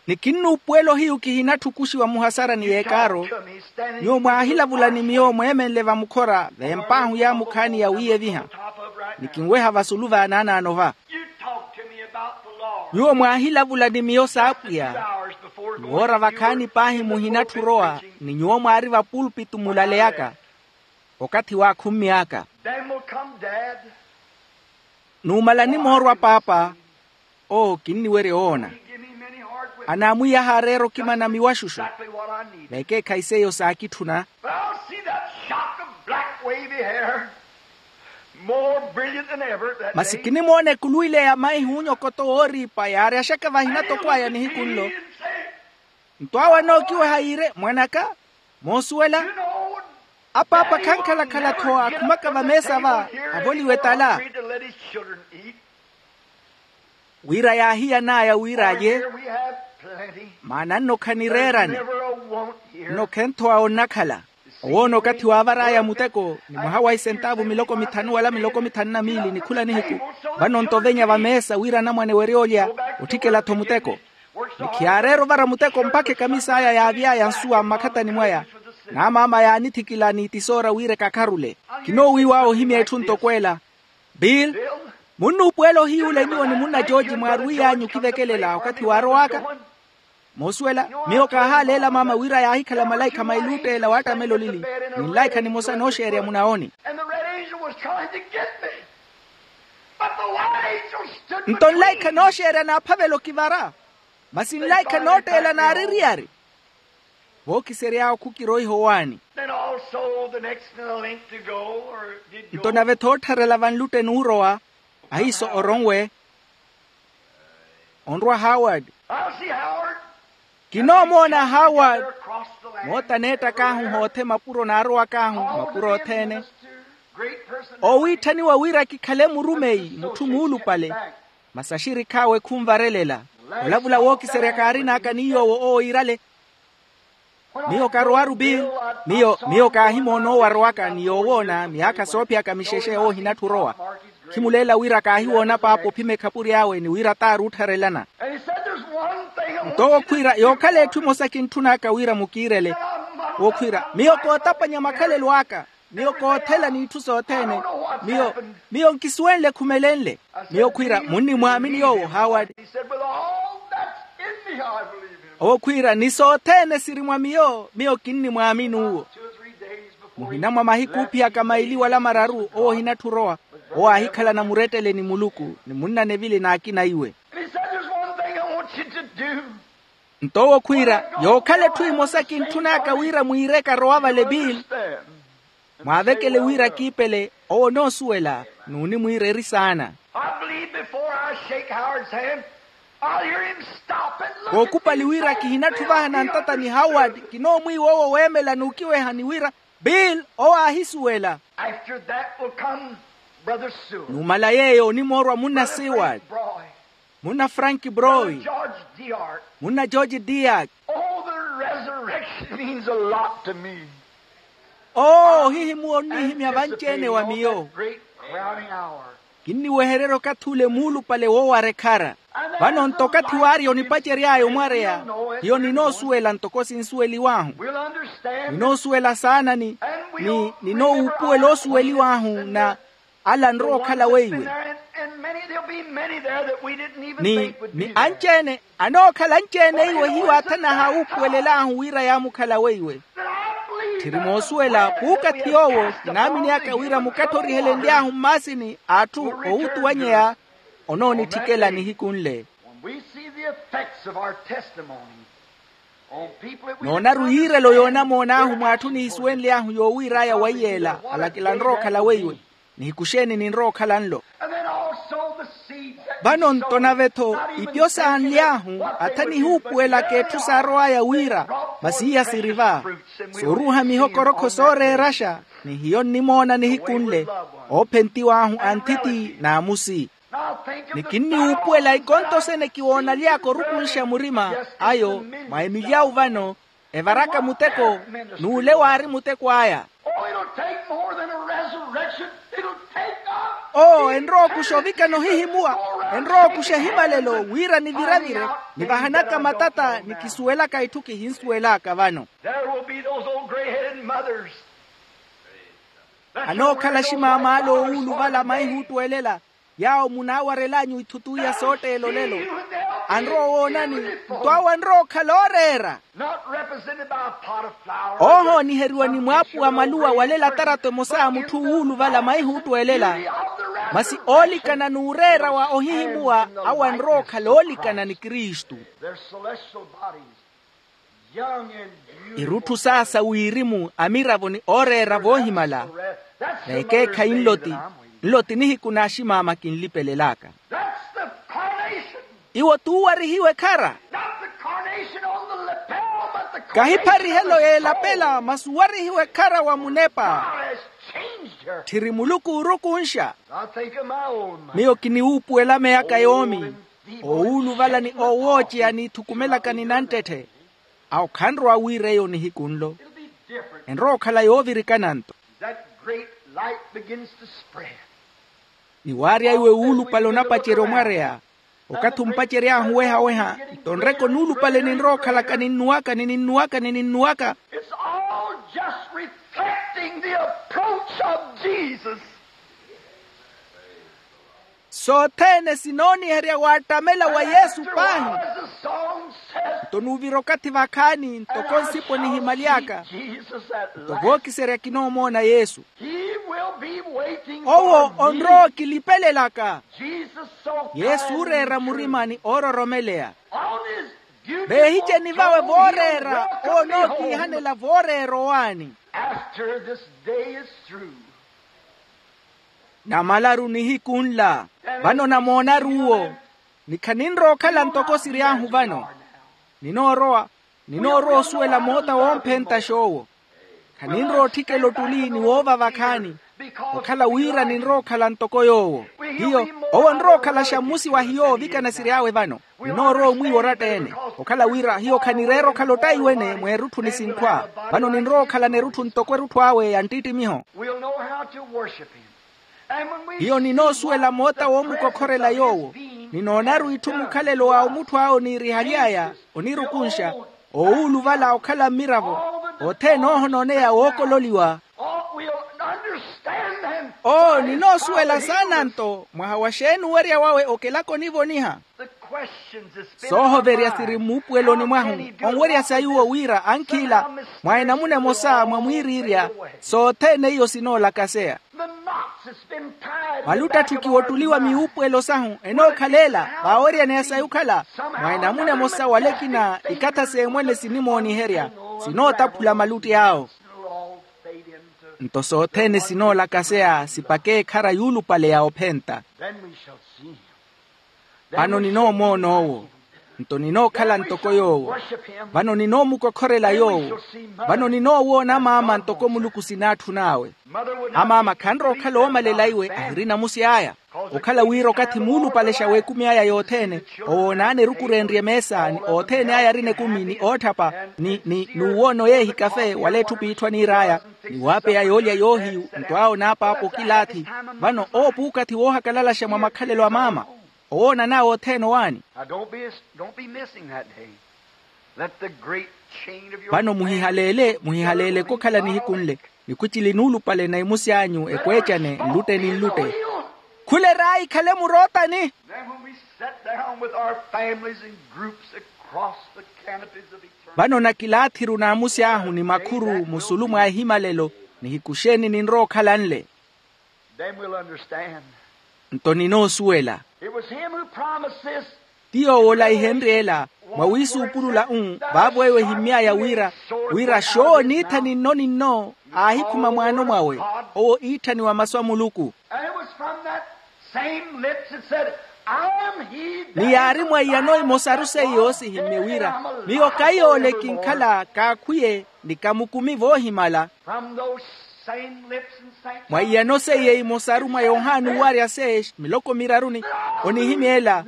Ni kinnuupuwela ohiyu kihinatthukuxiwa muhasarani y'ekaaro. Nyuwo mwaahilavula ni miyo mweemenle vamukhora veemp'ahu yaamukhaani yawiiyeviha. Ni kinweha vasulu vaanaanaano va. Nyuwo mwaahilavula ni miyo s'apwiya. Ni woora vakhaani paahi muhinatthu orowa ni nyuwo mwaari vapulpitu mulaleyaka. Okathi waakhumy'aka. Numala nimoorwa paapa. Oo kinniwerya owoona. Anaamwiiya ahaareera okimana miwaxuxu. Vekeekhayi seiyo saakitthuna. Masi kinimoona ekulu ile ya maihu onyokoto wooriipa yaaryaxaka vahina toko aya nihiku nlo. Nto awo anookiweha yiire mwan'aka. Moosuwela. Apaapa khankhalakhala-tho aakhumaka vameesa va avoliwe tala. Wira yaahiyan'aya wira alye. Maana nno khanireerani. Nno khentho awo nnakhala. Owoona okathi waavar'aya muteko ni mwaha wa isentaavu miloko mithanu wala miloko mithanu na miili ni khula nihiku. Vano nto ovenya vameesa wira anamwane weryoolya. Otthikela-tho muteko. Ni khiyaareera ovara muteko mpakha ekamis'aya yaavy'aya nsuwa mmakhatani mwaya. N'amaama yaanithikila ni itisoora wira ekakharule. Kinoowiiw'awe ohimya etthu ntoko ela. Bill, munnuupuwela ohiyuula nyuwo ni munna jooji mwaarwiiy'anyu okivekelela okathi waarow'aka. Moosuwela miyo kaahaaleela maama wira yaahikhala malaikha mailutteela waattamela olili. Ni nlaikha nimosa nooxeerya munaoni. Nto nlaikha nooxeerya naaphavela okivara, masi nlaikha nootteela naareriyari. Vookisery'awe khukiroiha owaani. Then also the next in the link to go, or did go. Nto nave-tho oottharela vanlutte nuurowa, ahiiso oronwe onrwa haward. I'll see Howard. Kinoomoona haward. Moota neettak'ahu hoothe mapuro naarowak'ahu mapuro othene. Oowiitthaniwa wira kikhale murumeyi mutthu muulupale. Masi axirikhi awe khunvarelela. Olavula wookiserya kaarin'aka ni yoowo owo iirale. Miyo karowaru bill. Miyo miyo kaahimoona owo arowaka ni yoowoona miyaakha soophiyaka mixexe owo ohinatthu orowa. Khimuleela wira kaahiwoona paapa ophima ekhapuri awe ni wira t'aari oottharelana. Nto owo khwiira yookhala etthu emosa kintthun'aka wira mukiirele. Owo khwiira miyo kootapanya makhalelo aka. Miyo koothela n'itthu sothene. Miyo miyo nkisuwenle khumelenle. Miyo khwiira munnimwaamini yoowo haward. Owo khwiira ni sothene siri mwa miyo miyo kinnimwaamini uwo. Muhina mwa mahiku oophiyaka maili wala mararu owo ohinatthu orowa. Owo aahikhalana murettele ni muluku ni munnanevili n'akina iwe. Nto owo khwiira yookhala etthu emosa kintthun'aka wira mwiireke arowa vale bill. Mwaavekele wira kiipele owo onoosuwela n'unimwiira eri saana. Kookhupali wira kihinatthu vahana ntata ni haward kinoomwiiwa owo weemela n'ukiweha ni wira bill owo aahisuwela. Numala yeeyo onimoorwa munna seward, munna frank broy, munna george diak. Oo ohihimuwa onniihimya vanci-ene wa miyo. Kinniwehererya okathi ule muulupale woowara ekhara. Vano nto okathi waarya onipacery'aya omwareya hiyo ninoosuwela ntoko sinsuweliw'ahu. Ninoosuwela saana ni ninoohuupuwela oosuweliw'ahu na ala anrowa okhala weiwe. Ni anci-ene anookhala anci-ene iwe hiyo aathanaha awuupuwelel'ahu wira yaamukhala weiwe. Tthiri moosuwela puukathi yoowo kinaamin'aka wira mukatthorihelenly'ahu mmaasini a atthu owutuwanyeya onoonitthikela nihiku nle. Noonaru yiirelo yoonamoon'ahu mw'atthu nihisuwenly'ahu yoowiir'aya waiyeela alakela anrowa okhala weiwe. Nihiku xeeni ninrowa okhala nlo? Vano nto nave-tho ipyo saanly'ahu atha nihuupuwelaka etthu saarow'aya wira masi iya siri va. Sooruuha mihokorokho sooreeraxa ni hiyo nnimoona nihiku nle. Oophentiw'ahu a nthiti n'amusi. Ni kinniwuupuwela ikonto sene kiwoonaly'aka orukunxa murima ayo mwa emilyawu vano. Evaraka muteko n'ule waari muteko aya. Oo enrowa okuxa ovikana ohihimuwa. Enrowa okuxa ehimalelo wira niviravire nivahanaka matata nikisuwelaka itthu kihinsuwel'aka vano. Anookhala aximaam'ale owuuluvala maihuuttwelela yaawo munaawarel'anyu ithutuwi ya sootteela olelo. Anrowa owoonani nto awo anrowa okhala ooreera. Oohooniheriwa ni mwaapuwa maluwa walela tarato emosa a mutthu owuuluvala maihuuttwelela. Masi oolikana n'ureera wa ohihimuwa awo anrowa okhala oolikana ni kristu. Irutthu saasa wirimu amiravo ni ooreera voohimala. N'ekeekhayi nloti nloti nihiku n'aximaama kinlipelel'aka. Iwo t'uwarihiwa ekhara. Kahi pharihelo y'elapela masi uwarihiwa ekhara wa munepa. Tthiri muluku oorukunxa. Miyo kiniwuupuwela meyaka yoomi oowuluvala ni oowooceya niithukumelaka ni nanttetthe. Awo khanrowa wiira eyo nihiku nlo. Enrowa okhala yoovirikana nto. Ni waarya iwe wuulupale onapacerya omwareya okathi ompacery'ahu weha-weha. Nto nreke onuulupale ninrowa okhalaka ninnuwaka ni ninnuwaka ni ninnuwaka. Sothene sinooniherya waattamela wa yesu paahi. Nto nuuvira okathi vakhaani ntoko nsipo nihimaly'aka nto vookiserya kinoomoona yesu. Owo onrowa okilipelelaka. Yesu ooreera murimani oororomeleya. Veehiceni vawe vooreera owo onookiihanela vooreera owaani. Namalaru nihiku nla, vano namoonaru uwo, ni khaninrowa okhala ntoko siry'ahu vano. Ninoorowa ninoorowa osuwela moota woomphentaxa owo. Khaninrowa otthikela ottuli ni woova vakhaani, okhala wira ninrowa okhala ntoko yoowo. Hiyo, owo onrowa okhalaxa mmusi wa hiyo oovikana siry'awe vano. Ninoorowa omwiiwa oratta-ene, okhala wira hiyo khanireera okhala ottaiwene mweerutthu ni sinkhwa. Vano ninrowa okhalana erutthu ntoko erutthu awe ya nttittimiho. Hiyo ninoosuwela moota woomukokhorela yoowo. Ninoonaru itthu mukhalelo wa omutthu awe oniirihaly'aya, onirukunxa, oowuluvala okhala mmiravo, othene oohonooneya wookololiwa. Oo ninoosuwela saana-nto mwaha wa xeeni owerya wawe okelaka onivoniha. Soohoverya siri mmuupuweloni mwahu, onwerya sayuwo wira ankhila, mwa enamuna emosa mwa mwiiriirya, sothene iyo sinoolakaseya. Maluttatthukiwa ottuli wa miwuupuwelo sahu enookhalela vaaweryaneya sayi okhala, mwa enamuna emosa wala ekina ikatha s'emwene sinimooniherya, sinootaphula malutti awo. Nto sothene sinoolakaseya sipaka ekhara yuulupale ya ophenta. Vano ninoomoona owo, nto ninookhala ntoko yoowo. Vano ninoomukokhorela yoowo. Vano ninoowoona amaama ntoko muluku sinaatthun'awe. Amaama khanrowa okhala oomalela iwe ahirina musi aya, okhala wira okathi muulupalexa w'ekumi aya yothene, owoonaana eruku reenrye meesa ni othene aya arina ekumi ni ootthapa, ni ni n'uwoona oyeehi kafe wala etthu piitthu aniir'aya, ni waapeya yoolya yoohiyu nto awo n'apaapa okilaathi. Vano owo puukathi woohakalalaxa mwa makhalelo a maama. Owoonan'awe othene owaani. Now, don't be, don't be missing that day. Let the great chain of your vano muhihaleele muhihaleeleke okhala nihiku nle. Nikhuchili nuulupale na imusi anyu ekweecane nlutte ni nlutte. Khuler'aya ikhale murootani. Then when we sat down with our families in groups across the canopies of eternity. Vano nakilaathi-ru n'amusi ahu ni makhuru musulu mwa ehimalelo. Nihiku xeeni ninrowa okhala nle. Then we'll understand. Nto ninoosuwela. It was him who promised this. Ti yoowo olaihenrye ela mwa wiisuupulula u vaavo eyo ehimmy'aya wira, wira xoowo niitthani nno ni nno aahikhuma mwaano mwawe. Owo iitthaniwa masu a muluku. And it was from that same lips that said, "I am he that." Ni yaari mwa iyano emosaru seiyo sihimmye wira, miyo khayoole kinkhala kaakhwiye ni kamukumi voohimala. From those same lips and saint mwa iyano seiye imosaru mwa yohani owarya se miloko miraru ni onihimya ela,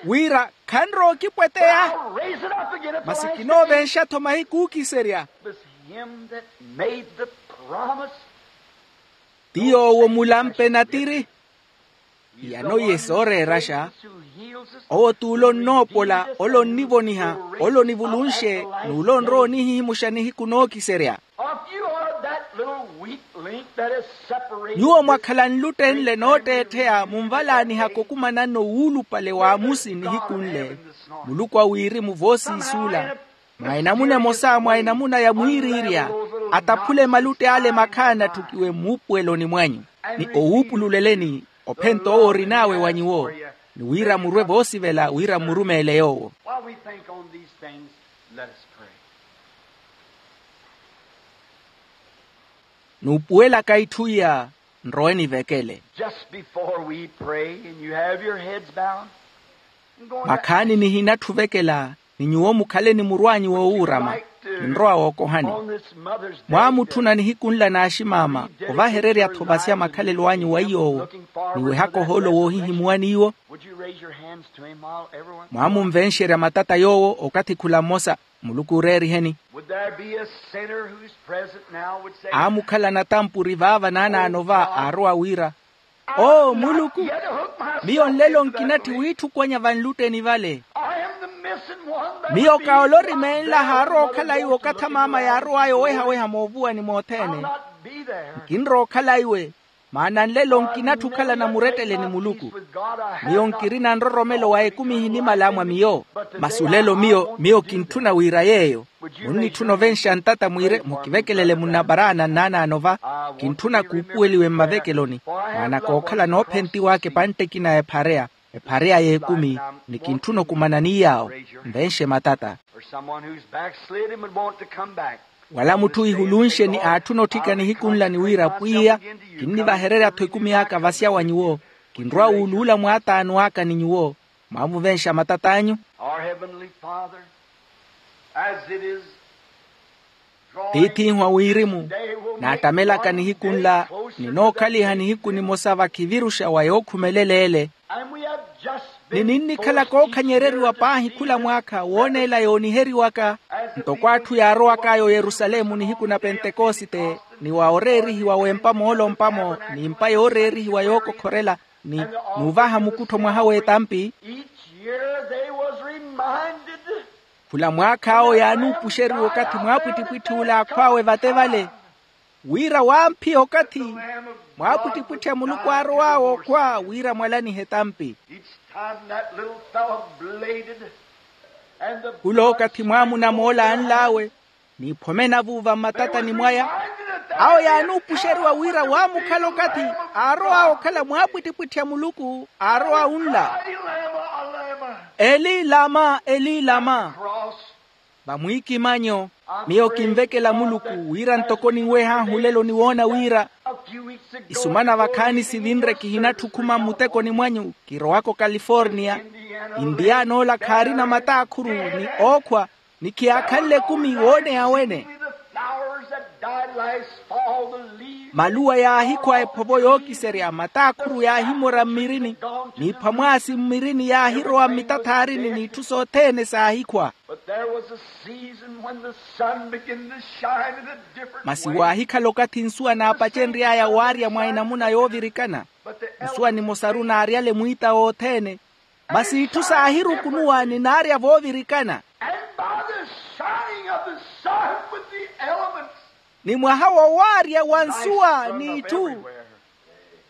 wira khanrowa okipweteya. I'll raise it up again at the last day. Masi kinoovenxa-tho mahiku ookiserya. It was him that made the promise. Ti yoowo mulampe natiri. Iyano iye sooreeraxa. Owo t'ule onnoopola ole onnivoniha, ole onivulunxe, n'ule onrowa onihihimuxa nihiku nookiserya. If you are that little weak link that is separated. Nyuwo mwakhala nlutte nle nootteettheya munvalaanihaka okumananno wuulupale w'amusi nihiku nle. Muluku a wirimu voosiisuula mwa enamuna emosa mwa enamuna ya mwiiriirya, ataphule malutte ale makhaana atthukiwe mmuupuweloni mwanyu, ni owuupululeleni ophenta owo orin'awe wa nyuwo, ni wira murwe voosivela wira mmurumeele yoowo. While we think on these things, let us pray. Nuupuwelaka itthu iya, nrowe nivekele. Just before we pray and you have your heads bowed, I'm going to makhaani nihinatthu ovekela, ni nyuwo mukhale ni muru anyu woowuurama, ninrowa wookohani. On this Mother's Day, mwaamutthuna nihiku nla n'aximaama ovahererya-tho masi a makhalelo anyu wa iy'owo, niwehaka ohoolo woohihimuwa n'iwo. Would you raise your hands to him while everyone? Mwaamunvenxerya matata yoowo okathi khula mmosa. Muluku ooreeriheni. Would there be a sinner who's present now would say, aamukhala natampuri vaava naanaano va aarowa wira, oo muluku, miyo nlelo nkinatthi wiitthukwennya vanlutteni vale. Miyo kaolorimeenla haarowa okhala iwe okathi amaama yaarow'aya oweha-weha moovuwani mothene. Nkinrowa okhala iwe. Maana nlelo nkinatthi okhalana murettele ni muluku. Miyo nkirina nroromelo wa ekumi ehinimala mwa miyo. Masi olelo miyo miyo kintthuna wira yeeyo. Munnitthuna ovenxa ntata mwiire mukivekelele munnaparaana nnaanaano va. Kintthuna kuupuweliwe mmavekeloni. Maana kookhala noophentiwaka epantte ekina ya ephareya, ephareya y'ekumi. Ni kintthuna okumana ni yaawo. Nvenxe matata. Wala mutthu ihulunxe ni aatthuna otthika nihiku nla ni wira pwiya, kinnivahererya-tho ekumi aka vasya wa nyuwo. Kinrowa wuuluula mwaataano aka ni nyuwo. Mwaamuvenxa matat'anyu. Tiith'ihu a wirimu, naattamelaka nihiku nla, ninookhaliha nihiku nimosa vakhiviruxa wa yookhumelela ele. Ni ninnikhala kookhanyereriwa paahi khula mwaakha wooneela yooniheriwaka, ntoko atthu yaarowak'aya oyerusalemu nihiku na pentekosite, ni wa oreerihiwa w'empa moolompamo, n'impa yooreerihiwa yookokhorela, ni n'uvaha mukuttho mwaha w'etampi. Khula mwaakha awo yaanuupuxeriwa okathi mwaapwittipwitthi ole aakhw'awe vate vale, wira waamphiya okathi mwaapwittipwitthi a muluku aarow'awe okhwa wira mwalanihe etampi. Khula okathi mwaamuna moola anl'awe, n'iphome navuuva mmatatani mwaya, awo yaanuupuxeriwa wira waamukhala okathi aarow'awe okhala mwaapwittipwitthi a muluku aarow'awe nla. Eli lama, eli lama. Vamwiikimanyo, miyo kinvekela muluku wira ntoko ninweh'ahu olelo ni woona wira isumana vakhaani sivinre kihinatthi okhuma mmutekoni mwanyu, kirowaka okaliforniya. Intiyana ola khaarina mataakhuru ni ookhwa, ni khiyaakhanle ekumi wooneya wene. Maluwa yaahikhwa ephovo yookiserya, mataakhuru yaahimora mmirini, n'iphwa mwaasi mmirini yaahirowa mmitathaarini n'itthu sothene saahikhwa. Masi waahikhala okathi nsuwa naapacenry'aya waarya mwa enamuna yoovirikana. Nsuwa nimosaru naaryale mwiita wothene, masi itthu saahirukunuwa ni naarya voovirikana. Ni mwaha wowaarya wa nsuwa n'itthu,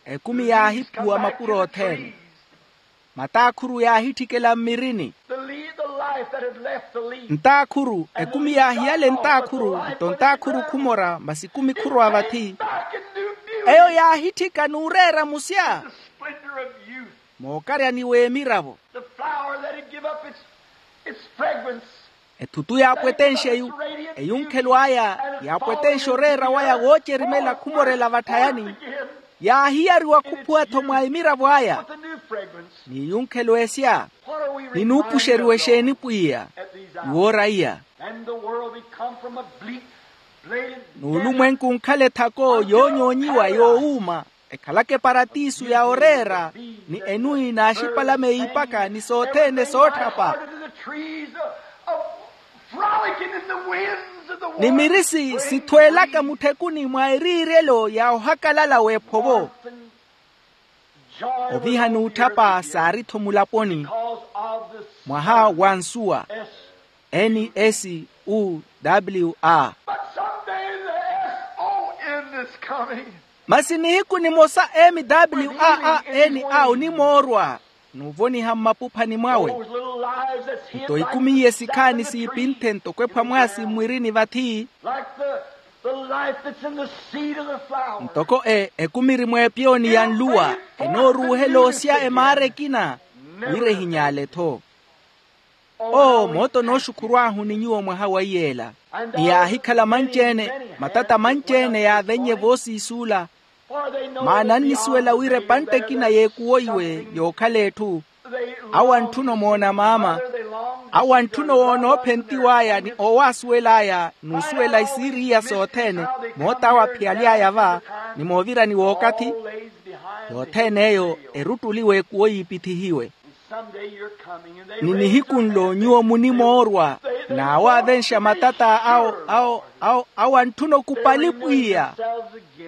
ekumi yaahiphuwa mapuro othene. Mataakhuru yaahitthikela mmirini. Ntaakhuru, ekumi yaahiyale ntaakhuru, nto ntaakhuru khumora masi ekumi khurowa vathi. Eyo yaahitthika n'ureera musya mookaryani w'emiravo. Ethutu yaapwetenxe eyunkhelo aya, yaapwetenxe oreera waya woocerimela khumorela vatthayani. Yaahiyariwa khuphuwa-tho mwa emiravo aya. N'iyunkhelo esya, ninuupuxeriwa exeeni pwiya? Iwoora iya. N'ulumwenku nkhala ethako yoonyoonyiwa yoowuuma, ekhalaka eparatiso ya oreera, ni enwi n'axipalame yiipaka ni sothene sootthapa. Ni mirisi sithweelaka mutthekuni mwa eriiryelo ya ohakalala w'ephovo. Oviha n'utthapa saari-tho mulaponi. Mwaha wa nsuwa, n s u w a. Masi nihiku nimosa m w a a n a onimoorwa, n'uvoniha mmapuphani mwawe. Nto ikumi iye sikhaani siipinthe ntoko ephwa mwaasi mmwirini vathi. Ntoko e ekumi iri mweepiyoni ya nluwa, enooruuhela osya emaara ekina, wira ehinyaale-tho. Oo mooto nooxukhurw'ahu ni nyuwo mwaha wa iyeela. Ni yaahikhala manci-ene, matata manci-ene yaavennye voosiisuula. Maana annisuwela wira epantte ekina yeekuwoiwe yookhala etthu. Awo antthuno moona maama. Awo antthuno woona oophentiw'aya ni oowaasuwel'aya n'usuwela isiiri iya sothene. Moota awo aphiyaly'aya va, ni moovirani w'okathi. Yothene eyo eruttuli w'ekuwo yiipithihiwe. Ni nihiku nlo nyuwo munimoorwa, n'awaavenxa matata awo awo awo awo antthuna okupali pwiya.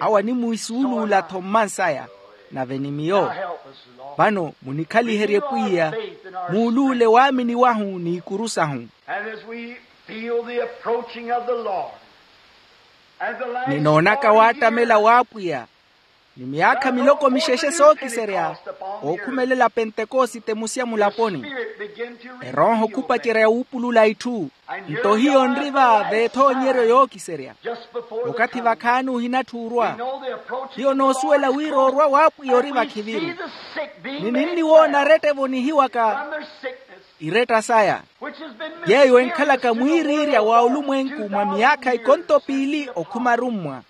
Awo animwiisuuluula-tho mmansaya. Nave ni miyo, vano munikhaliherye pwiya, muuluule waamini wahu n'ikuru sahu. Ninoonaka waattamela w'apwiya. Ni myaakha miloko mixexe sookiserya, ookhumelela pentekosite musya mulaponi. Erooho khupacerya wuupulula itthu. Nto hiyo nri-va veethoonyeryo yookiserya. Okathi vakhaani ohinatthu orwa. Hiyo noosuwela wira orwa w'apwiya ori vakhiviru. Ni ninniwoona aretta evonihiwaka iretta saya, yeeyo enkhalaka mwiiriirya wa olumwenku mwa myaakha ikonto piili okhuma arummwa.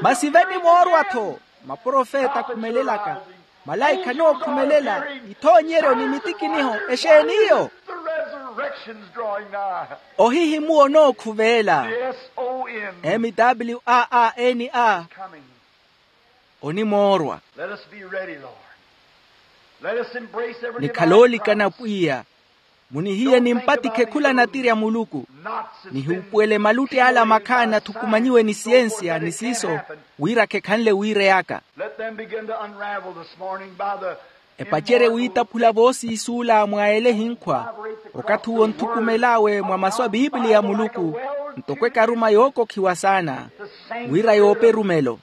Masi venimoorwa-tho, maprofeta akhumelelaka, malaikha anookhumelela, ithoonyeryo ni mitikiniho. Exeeni iyo? Ohihimuwa onookhuveela. Mwaana onimoorwa. Nikhala oolikana pwiya. Munihiye nimpatikhe khula natirya muluku. Nihuupuwele malutti ala makhaani athukumanyiwe ni siyensiya ni siiso, wira khekhanle wiireyaka. Epacerye wiitaphula voosiisuula mwa ele ehinkhwa. Okathi uwo onthukumel'awe mwa masu a pipiliya ya muluku, ntoko ekaruma yookokhiwa saana, wira yoope erumelo.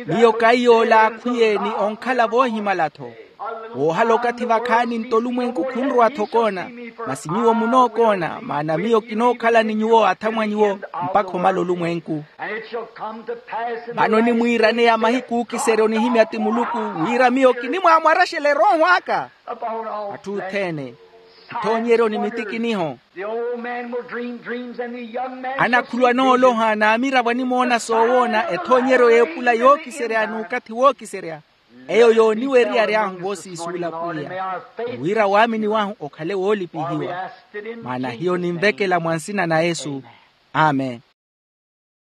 Miyo kaiy'ola akhwiye ni onkhala voohimala-tho. Woohala okathi vakhaani nto olumwenku khunrowa-tho okoona. Masi nyuwo munookoona, maana miyo kinookhala ni nyuwo athamwa nyuwo, mpakha omala olumwenku. Vano onimwiiraneya mahiku ookiserya onihimya ti muluku, wira miyo kinimwaamwaraxela erooho aka. Atthu othene, ithoonyeryo ni mitikiniho. Anakhulu anooloha n'amiravo animoona soowoona ethoonyeryo y'epula yookiserya n'ukathi wookiserya. Eyo yooniwerya ary'ahu voosiisuula pwiya, wira waamini wahu okhale woolipihiwa. Maana hiyo ninvekela mwa nsina na yesu. Amen.